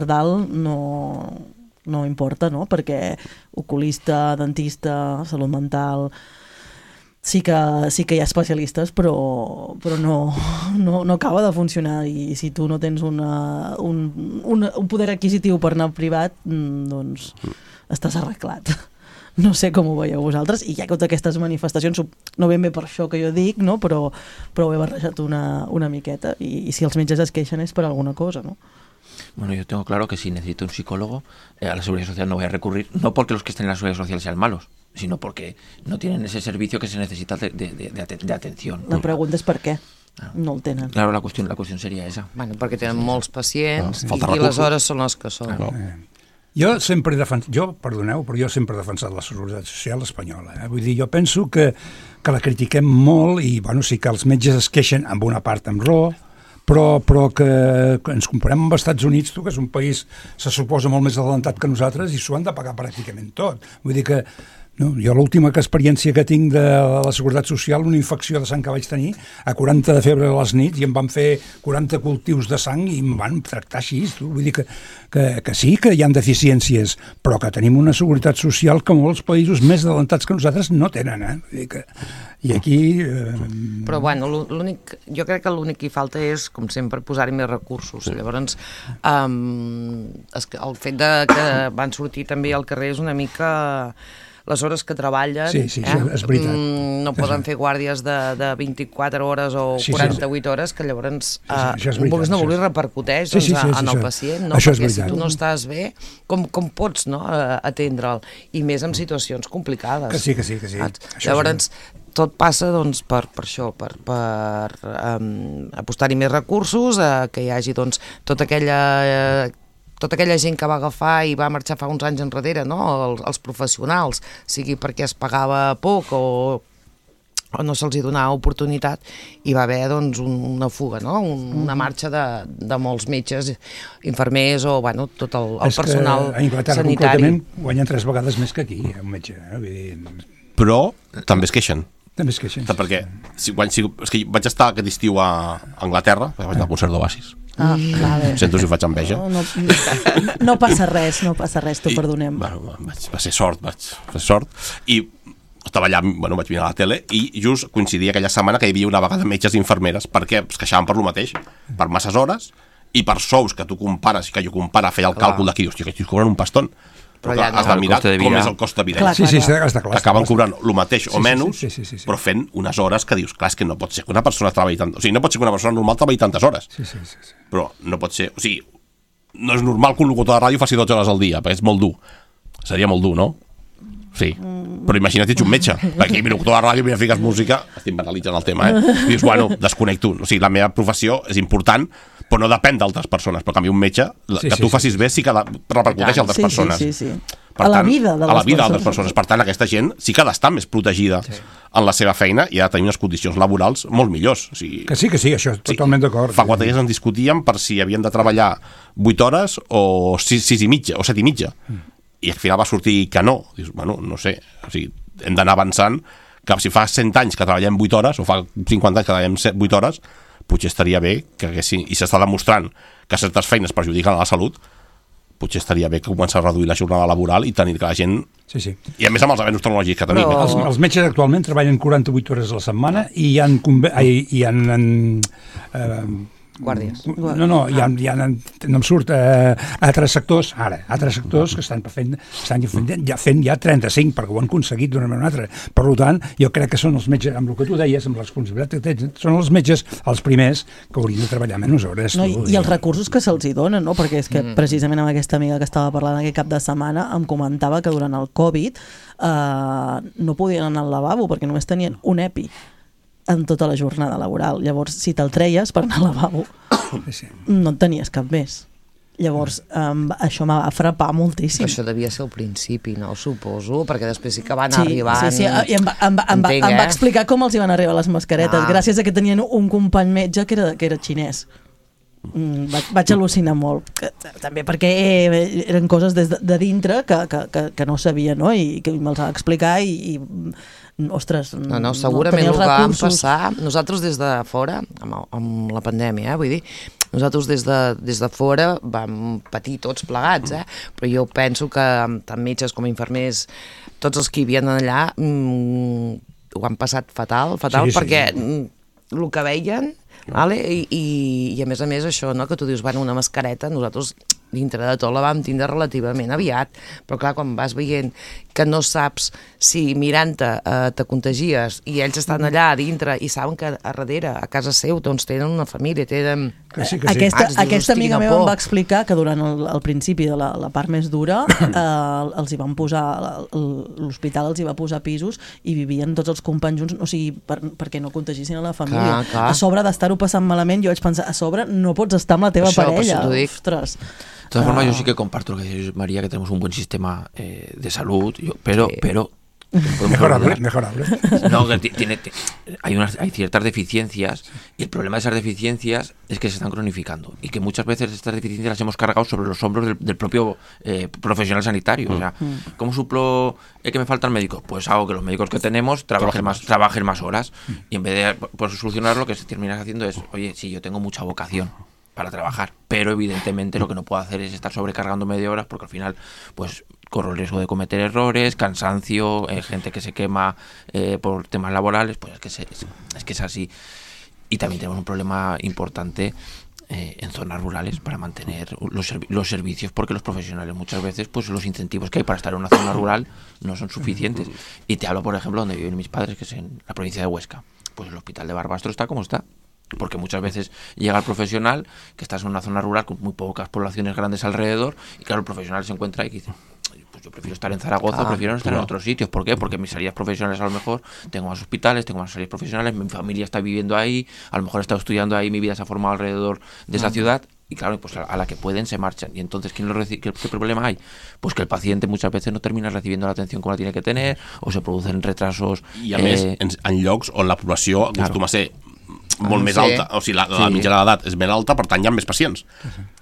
dalt no importa, no? Perquè oculista, dentista, salut mental, sí que hi ha especialistes, però no acaba de funcionar, i si tu no tens un poder adquisitiu per anar privat, doncs estàs arreglat. No sé com ho veieu vosaltres, i hi ha totes aquestes manifestacions, no ben bé per això que jo dic, no? Però ho he barrejat una miqueta, i si els metges es queixen és per alguna cosa, ¿no? Bueno, yo tengo claro que si necesito un psicólogo, a la Seguridad Social no voy a recurrir, no porque los que estén en la Seguridad Social sean malos, sino porque no tienen ese servicio que se necesita de atención. La pregunta és per què no el tenen. Claro, la cuestión sería esa. Bueno, perquè tenen molts pacients i les hores són les que són. Jo sempre he defensat la Seguretat Social espanyola. Vull dir, jo penso que la critiquem molt, i bueno, sí que els metges es queixen amb una part amb raó, però que ens comparem amb els Estats Units, que és un país, se suposa, molt més adelantat que nosaltres, i s'ho han de pagar pràcticament tot. Vull dir que no, jo l'última experiència que tinc de la Seguretat Social, una infecció de sang que vaig tenir a 40 de febre a les nits, i em van fer 40 cultius de sang i em van tractar així. Vull dir que sí que hi ha deficiències, però que tenim una Seguretat Social que molts països més adelantats que nosaltres no tenen. Vull dir que, i aquí... Però bueno, jo crec que l'únic que hi falta és, com sempre, posar-hi més recursos. Llavors, el fet que van sortir també al carrer és una mica... les hores que treballen, sí, és veritat. No poden fer guàrdies de 24 hores o 48 hores, que llavors, vulguis no vulguis, repercuteix en el pacient, no? Perquè si tu no estàs bé, com pots atendre'l? I més en situacions complicades. Que sí. Llavors, tot passa per això, per apostar-hi més recursos, que hi hagi tota aquella gent que va agafar i va marxar fa uns anys enrere, no? Els professionals, sigui perquè es pagava poc o no se'ls donava oportunitat, i va haver una fuga, no? Una marxa de molts metges, infermers o tot el personal sanitari. A Anglaterra concretament guanyen 3 vegades més que aquí, un metge. Però també es queixen. També es queixen. Perquè és que vaig estar aquest estiu a Anglaterra, vaig anar al concert d'Oasis. Vale. Sento si faig enveja. No passa res, t'ho perdonem. Va ser sort, i estava allà, vaig mirar a la tele, i just coincidia aquella setmana que hi havia una vaga de metges i infermeres, perquè es queixaven per lo mateix, per masses hores, i per sous que tu compares, que jo compara, feia el càlcul d'aquí, hòstia, que ells cobren un paston. Però ja has de mirar com és el cost de vida. Sí, està clar. Que acaben cobrant el mateix o menys, però fent unes hores que dius, clar, és que no pot ser que una persona treballi tant... O sigui, no pot ser que una persona normal treballi tantes hores. Però no pot ser... O sigui, no és normal que un locutor de ràdio faci 12 hores al dia, perquè és molt dur. Seria molt dur, no? Sí, però imagina't ets un metge, perquè mi locutor de ràdio, mi fiques música, estic banalitzant el tema, dius, bueno, desconnecto. O sigui, la meva professió és important, però no depèn d'altres persones, però en canvi un metge, que tu facis bé sí que repercuteix a altres persones. A la vida d'altres persones. Per tant, aquesta gent sí que ha d'estar més protegida en la seva feina i ha de tenir unes condicions laborals molt millors. Que sí, això totalment d'acord. Fa 4 dies en discutíem per si havien de treballar 8 hores o 6 i mitja, o 7 i mitja. I al final va sortir que no. Dius, bueno, no sé, o sigui, hem d'anar avançant, que si fa 100 anys que treballem 8 hores, o fa 50 anys que treballem 8 hores, potser estaria bé que haguessin, i s'està demostrant que certes feines perjudiquen a la salut, potser estaria bé que començar a reduir la jornada laboral i tenir que la gent... I a més amb els avenços tecnològics que tenim. Els metges actualment treballen 48 hores a la setmana i hi ha guàrdies. No em surt altres sectors que estan fent ja 35 perquè ho han aconseguit d'una manera o una altra. Per tant, jo crec que són els metges, amb el que tu deies, amb la responsabilitat que tens, són els metges els primers que haurien de treballar menys hores. I els recursos que se'ls hi donen, no? Perquè és que precisament amb aquesta amiga que estava parlant aquest cap de setmana em comentava que durant el Covid no podien anar al lavabo perquè només tenien un EPI en tota la jornada laboral. Llavors, si te'l treies per anar al lavabo, no en tenies cap més. Llavors, això m'ha frapar moltíssim. Això devia ser el principi, no? Suposo, perquè després sí que van arribant... Sí, i em va explicar com els hi van arribar les mascaretes, gràcies a que tenien un company metge que era xinès. Vaig al·lucinar molt. També perquè eren coses de dintre que no sabia, no? I que me'ls va explicar i ostres, no, segurament el que vam passar nosaltres des de fora amb la pandèmia, vull dir, nosaltres des de fora vam patir tots plegats, però jo penso que tant metges com infermers, tots els que hi havien allà ho han passat fatal perquè el que veien, i a més això, que tu dius, una mascareta, nosaltres dintre de tot la vam tindre relativament aviat, però clar, quan vas veient que no saps si mirant-te te contagies i ells estan allà a dintre i saben que a darrere, a casa seu, doncs tenen una família, tenen... Aquesta amiga meva em va explicar que durant el principi de la part més dura els hi van posar, l'hospital els hi va posar pisos i vivien tots els companys junts, o sigui, perquè no contagissin a la família. A sobre d'estar-ho passant malament, jo vaig pensar, a sobre no pots estar amb la teva parella. Ostres. De todas formas, yo sí que comparto lo que dice María, que tenemos un buen sistema de salud, pero mejorable. No, hay ciertas deficiencias, y el problema de esas deficiencias es que se están cronificando y que muchas veces estas deficiencias las hemos cargado sobre los hombros del propio profesional sanitario. O sea, ¿cómo suplo que me faltan médicos? Pues hago que los médicos que tenemos trabajen más horas, y en vez de solucionarlo, lo que se termina haciendo es, oye, sí, yo tengo mucha vocación para trabajar, pero evidentemente lo que no puedo hacer es estar sobrecargándome de horas, porque al final pues corro el riesgo de cometer errores, cansancio, gente que se quema por temas laborales, pues es que es así. Y también tenemos un problema importante en zonas rurales para mantener los servicios, porque los profesionales muchas veces, pues los incentivos que hay para estar en una zona rural no son suficientes. Y te hablo, por ejemplo, donde viven mis padres, que es en la provincia de Huesca. Pues el hospital de Barbastro está como está, porque muchas veces llega el profesional que estás en una zona rural con muy pocas poblaciones grandes alrededor, y claro, el profesional se encuentra y dice, pues yo prefiero estar en Zaragoza, prefiero no estar en otros sitios. ¿Por qué? Porque mis salidas profesionales, a lo mejor tengo más hospitales, tengo más salidas profesionales, mi familia está viviendo ahí, a lo mejor he estado estudiando ahí, mi vida se ha formado alrededor de esa ciudad, y claro, pues a la que pueden se marchan. Y entonces, ¿qué problema hay? Pues que el paciente muchas veces no termina recibiendo la atención como la tiene que tener, o se producen retrasos. I a més, en llocs on la població acostuma a ser molt més alta, o sigui, la mitjana d'edat és més alta, per tant hi ha més pacients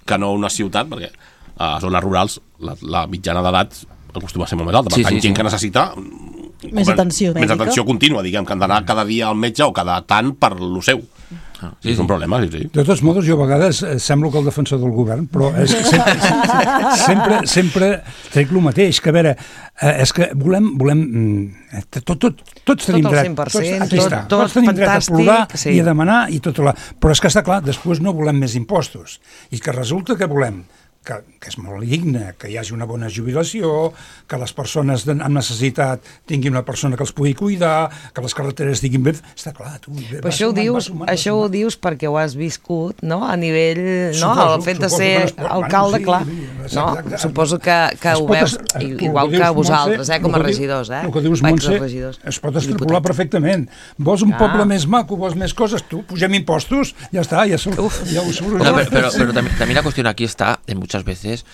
que no una ciutat, perquè a zones rurals la mitjana d'edat acostuma a ser molt més alta, per tant gent que necessita més atenció mèdica, més atenció contínua, diguem, que han d'anar cada dia al metge o cada tant per lo seu. És un problema, sí. De tots modos, jo a vegades semblo que el defensor del govern, però és que sempre trec el mateix, que a veure, és que volem tots tenim dret, tots tenim dret a plorar i a demanar i tot, però és que està clar, després no volem més impostos, i que resulta que volem que és molt digne, que hi hagi una bona jubilació, que les persones amb necessitat tinguin una persona que els pugui cuidar, que les carreteres estiguin ben... Està clar, tu... Però això ho dius perquè ho has viscut, no?, a nivell... El fet de ser alcalde, clar. Suposo que ho veus igual que vosaltres, com a regidors, El que dius, Montse, es pot extrapolar perfectament. Vols un poble més maco, vols més coses, tu, pugem impostos, ja està, ja ho solucionem. Pero también la cuestión aquí está, en muchas veces,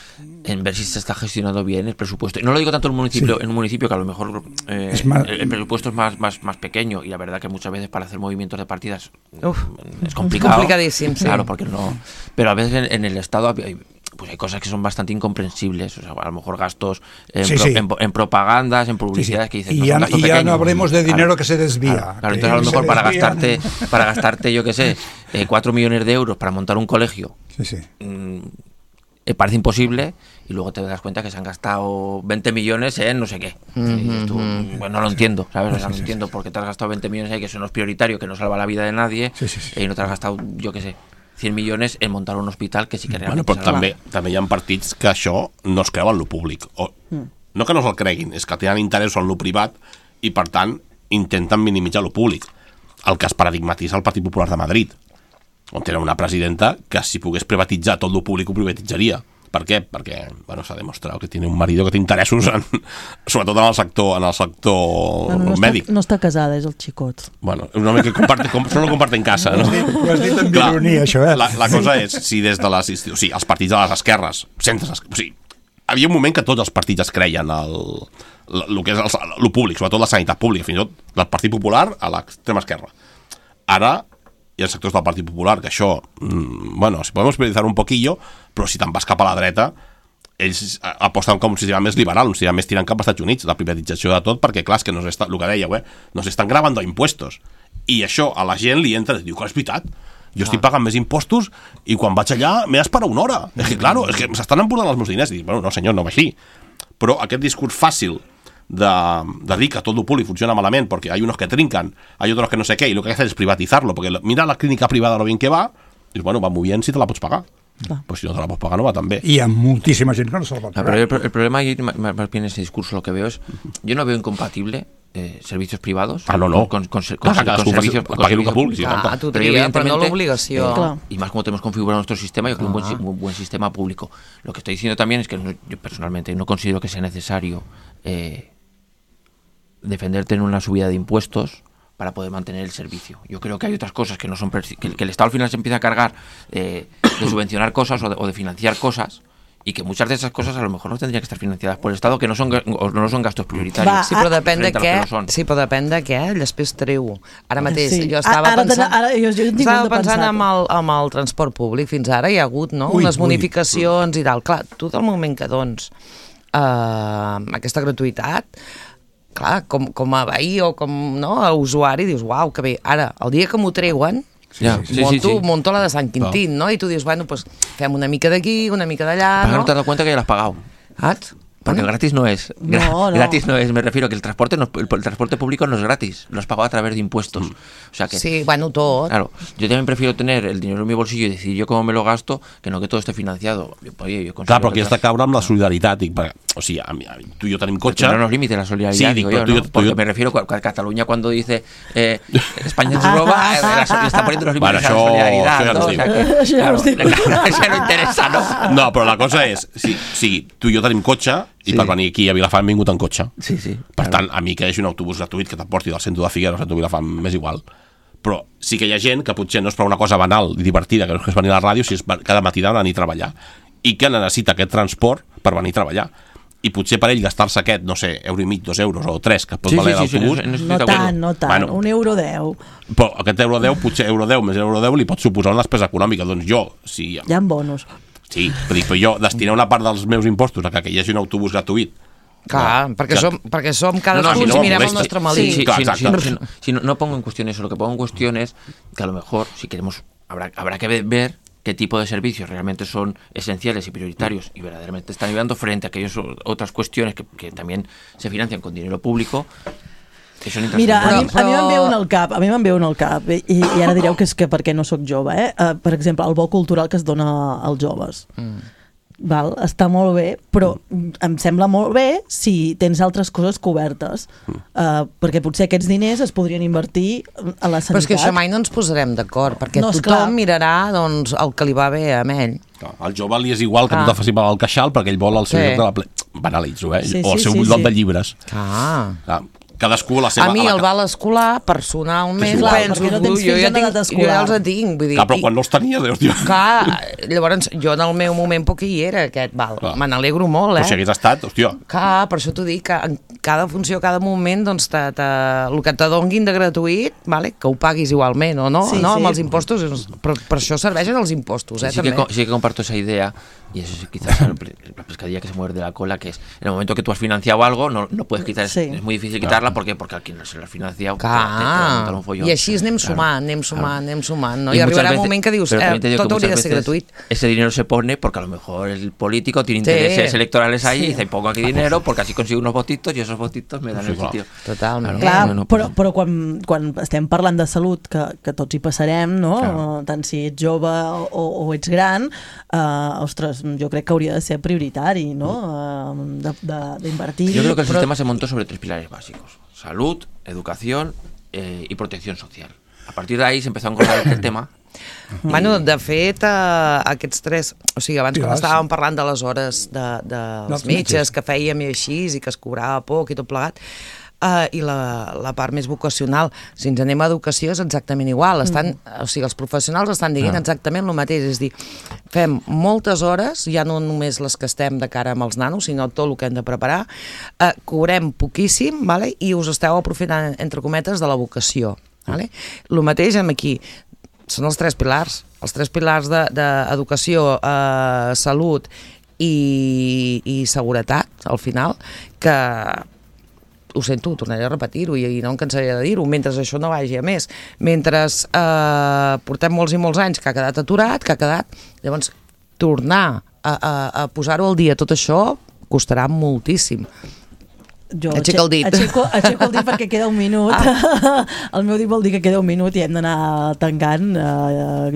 en ver si se está gestionando bien el presupuesto. Y no lo digo tanto en un municipio que a lo mejor el presupuesto es más pequeño, y la verdad que muchas veces para hacer movimientos de partidas es complicado. Complicadísimo, sí. Claro, porque no... Pero a veces en el Estado hay cosas que son bastante incomprensibles, o sea, a lo mejor gastos en propagandas, en publicidades, que dices, y ya no hablemos de dinero que se desvía. Claro, entonces a lo mejor para gastarte, yo qué sé, 4 millones de euros para montar un colegio, parece imposible, y luego te das cuenta que se han gastado 20 millones en no sé qué. Y tú, no lo entiendo, ¿sabes? O sea, no entiendo por qué te has gastado 20 millones ahí, que eso no es prioritario, que no salva la vida de nadie, y no te has gastado, yo qué sé, 100 millones en montar un hospital que sí que realment... Però també hi ha partits que això no es creu en lo públic. No que no se'l creguin, és que tenen interès en lo privat i, per tant, intenten minimitzar lo públic. El cas paradigmatitza el Partit Popular de Madrid, on tenen una presidenta que si pogués privatitzar tot lo públic ho privatitzaria. Per què? Perquè s'ha demostrat que tiene un marido que té interessos sobretot en el sector mèdic. No està casada, és el xicot. Bueno, un home que solo comparte en casa, no? Ho has dit amb ironia, això, La cosa és, si des de les... O sigui, els partits de les esquerres, havia un moment que tots els partits es creien el que és el públic, sobretot la sanitat pública, fins i tot del Partit Popular a l'extrema esquerra. Ara hi ha sectors del Partit Popular que això, si podem prioritzar un poquillo, però si te'n vas cap a la dreta, ells aposten com un sistema més liberal, un sistema més tirant cap als Estats Units, la privatització de tot, perquè clar, és que el que dèieu, nos estan gravando impuestos, i això a la gent li entra i diu que és veritat, jo estic pagant més impostos i quan vaig allà m'he d'esperar una hora, és que s'estan emportant els meus diners, i dic, no senyor, no va així, però aquest discurs fàcil de dir que tot el públic funciona malament porque hay unos que trincan, hay otros que no sé qué, y lo que hay que hacer es privatizarlo, porque mira la clínica privada lo bien que va, y va muy bien si te la pots pagar. Pues si no te la pots pagar no va tan bé. Y hay muchísima gente que no se la pot pagar. Pero el problema ahí, más bien ese discurso, lo que veo es, yo no veo incompatible servicios privados con servicios públicos. Pero no l'obligació. Y más como tenemos configurado nuestro sistema, yo creo un buen sistema público. Lo que estoy diciendo también es que yo personalmente no considero que sea necesario defenderte en una subida de impuestos para poder mantener el servicio. Yo creo que hay otras cosas que no son que el Estado al final se empieza a cargar de subvencionar cosas o de financiar cosas, y que muchas de esas cosas a lo mejor no tendrían que estar financiadas por el Estado, que no son gastos prioritarios. Sí, però depèn de què després treu. Ara mateix, jo estava pensant amb el transport públic. Fins ara hi ha hagut unes bonificacions i tal. Clar, tu del moment que dons aquesta gratuïtat, clar, com a veí o com a usuari dius, uau, que bé, ara, el dia que m'ho treuen monto la de Sant Quintín, no? I tu dius, bueno, pues fem una mica d'aquí, una mica d'allà, no? No te das cuenta que ya lo has pagado. Porque el gratis no es. Gratis no es, me refiero que el transporte público no es gratis, lo has pagado a través de impuestos. O sea que, sí, bueno, todo. Claro, yo también prefiero tener el dinero en mi bolsillo y decidir yo cómo me lo gasto, que no que todo esté financiado. Clar, però aquí has de caure amb la solidaritat. O sigui, tu i jo tenim cotxe... Pero no nos limite la solidaridad, digo yo, ¿no? Porque me refiero a Cataluña cuando dice España nos roba, está poniendo los límites a la solidaridad, ¿no? O sea que, claro, eso no interesa, ¿no? No, però la cosa és, si tu i jo tenim cotxe, i per venir aquí a Vilafant hem vingut en cotxe. Per tant, a mi que hi hagi un autobús gratuït que t'emporti del centre de Figueres al centre de Vilafant m'és igual. Però sí que hi ha gent que potser no és per una cosa banal i divertida, que no és venir a la ràdio, si és cada matí d'anar a treballar, i que necessita aquest transport per venir a treballar. I potser per ell gastar-se aquest, no sé, €1,5, €2 o 3 que pot valer l'autobús... No tant, €1,10. Però aquest €1,10, potser €1,10 més €1,10 li pot suposar una despesa econòmica. Doncs jo, si... Hi ha bonus. Sí, però jo destinar una part dels meus impostos a que hi hagi un autobús gratuït Clar, perquè som cadascú ens mirem el nostre melic. Si no pongo en cuestión eso, lo que pongo en cuestión es que a lo mejor, si queremos, habrá que ver qué tipo de servicios realmente son esenciales y prioritarios y verdaderamente están ayudando frente a aquellas otras cuestiones que también se financian con dinero público. Mira, a mi me'n ve un al cap, i ara direu que és que perquè no sóc jove, per exemple, el bo cultural que es dona als joves. Val? Està molt bé, però em sembla molt bé si tens altres coses cobertes, perquè potser aquests diners es podrien invertir a la sanitat. Però és que això mai no ens posarem d'acord, perquè tothom mirarà doncs, el que li va bé a ell. Al jove li és igual que tu te faci mal al queixal perquè ell vol el seu lloc de la banalitzo, o el seu lloc de llibres. Cadascú a la seva... A mi el val escolar, personalment, penso, jo ja els tinc. Però quan no els tenia, Déu, tio. Llavors, jo en el meu moment poc hi era, aquest val. Me n'alegro molt, Però si hagués estat, hòstia. Per això t'ho dic, que en cada funció, cada moment, doncs, el que te donguin de gratuït, que ho paguis igualment, o no? Amb els impostos, per això serveixen els impostos, també. Sí que comparto esa idea, y eso es quizás la pescadilla que se muerde la cola, que es en el momento que tú has financiado algo, no puedes quitar, es muy difícil quitarla. ¿Por qué? Porque al quien no se l'ha financiado te va un follón. I així anem sumant, no? I arribarà un moment que dius, tot hauria de ser gratuït. Ese dinero se pone porque a lo mejor el político tiene intereses electorales ahí y dice, pongo aquí dinero porque así consigo unos votitos y esos votitos me dan el sitio. Totalment. Clar, però quan estem parlant de salut, que tots hi passarem, no? Tant si ets jove o ets gran, ostres, jo crec que hauria de ser prioritari, no? D'invertir. Yo creo que el sistema se montó sobre 3 pilares básicos: salud, educación y protección social. A partir de ahí se empezó a encontrar el tema. Bueno, de fet, aquests 3... O sigui, abans quan estàvem parlant de les hores dels metges que fèiem i així, i que es cobrava poc i tot plegat, i la part més vocacional, si ens anem a educació és exactament igual, o sigui, els professionals estan dient exactament el mateix, és dir, fem moltes hores, ja no només les que estem de cara amb els nanos, sinó tot el que hem de preparar, cobrem poquíssim, i us esteu aprofitant, entre cometes, de la vocació. El mateix amb aquí, són els 3 pilars, d'educació, salut i seguretat, al final, que ho sento, tornaré a repetir-ho i no em cansaré de dir-ho, mentre això no vagi a més, mentre portem molts i molts anys que ha quedat aturat, llavors tornar a posar-ho al dia tot això costarà moltíssim. Aixeca el dit. Aixeco el dit perquè queda un minut. El meu dit vol dir que queda un minut i hem d'anar tancant.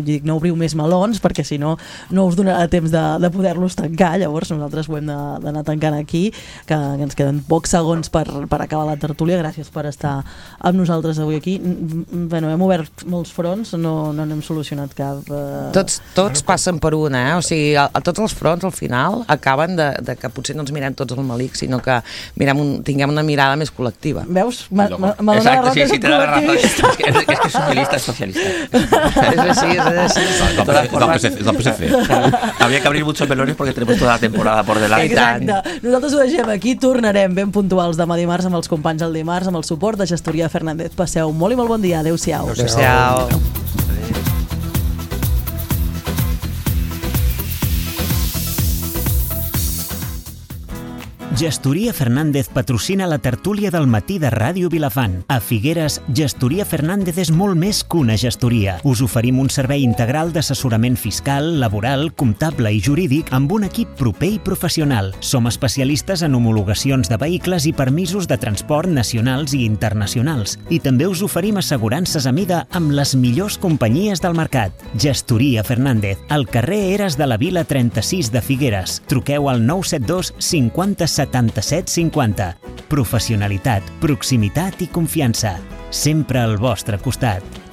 Dic, no obriu més melons perquè si no, no us donarà temps de poder-los tancar. Llavors nosaltres ho hem d'anar tancant aquí, que ens queden pocs segons per acabar la tertúlia. Gràcies per estar amb nosaltres avui aquí. Bueno, hem obert molts fronts, no n'hem solucionat cap. Tots passen per una, o sigui, tots els fronts al final acaben de que potser no ens mirem tots al melic, sinó que tinguem una mirada més col·lectiva. Veus? Exacte, sí, te da la razón. Es que es socialista, es socialista. És així. És del PSC. Había que abrir muchos melones porque tenemos toda la temporada por delante. Exacte. Nosaltres ho deixem aquí, tornarem ben puntuals demà dimarts amb els companys del dimarts, amb el suport de Gestoria Fernández. Passeu molt i molt bon dia. Adéu-siau. Adéu-siau. Gestoria Fernández patrocina la tertúlia del matí de Ràdio Vilafant. A Figueres, Gestoria Fernández és molt més que una gestoria. Us oferim un servei integral d'assessorament fiscal, laboral, comptable i jurídic amb un equip proper i professional. Som especialistes en homologacions de vehicles i permisos de transport nacionals i internacionals. I també us oferim assegurances a mida amb les millors companyies del mercat. Gestoria Fernández, al carrer Eres de la Vila 36 de Figueres. Truqueu al 972 50 77 50. Professionalitat, proximitat i confiança. Sempre al vostre costat.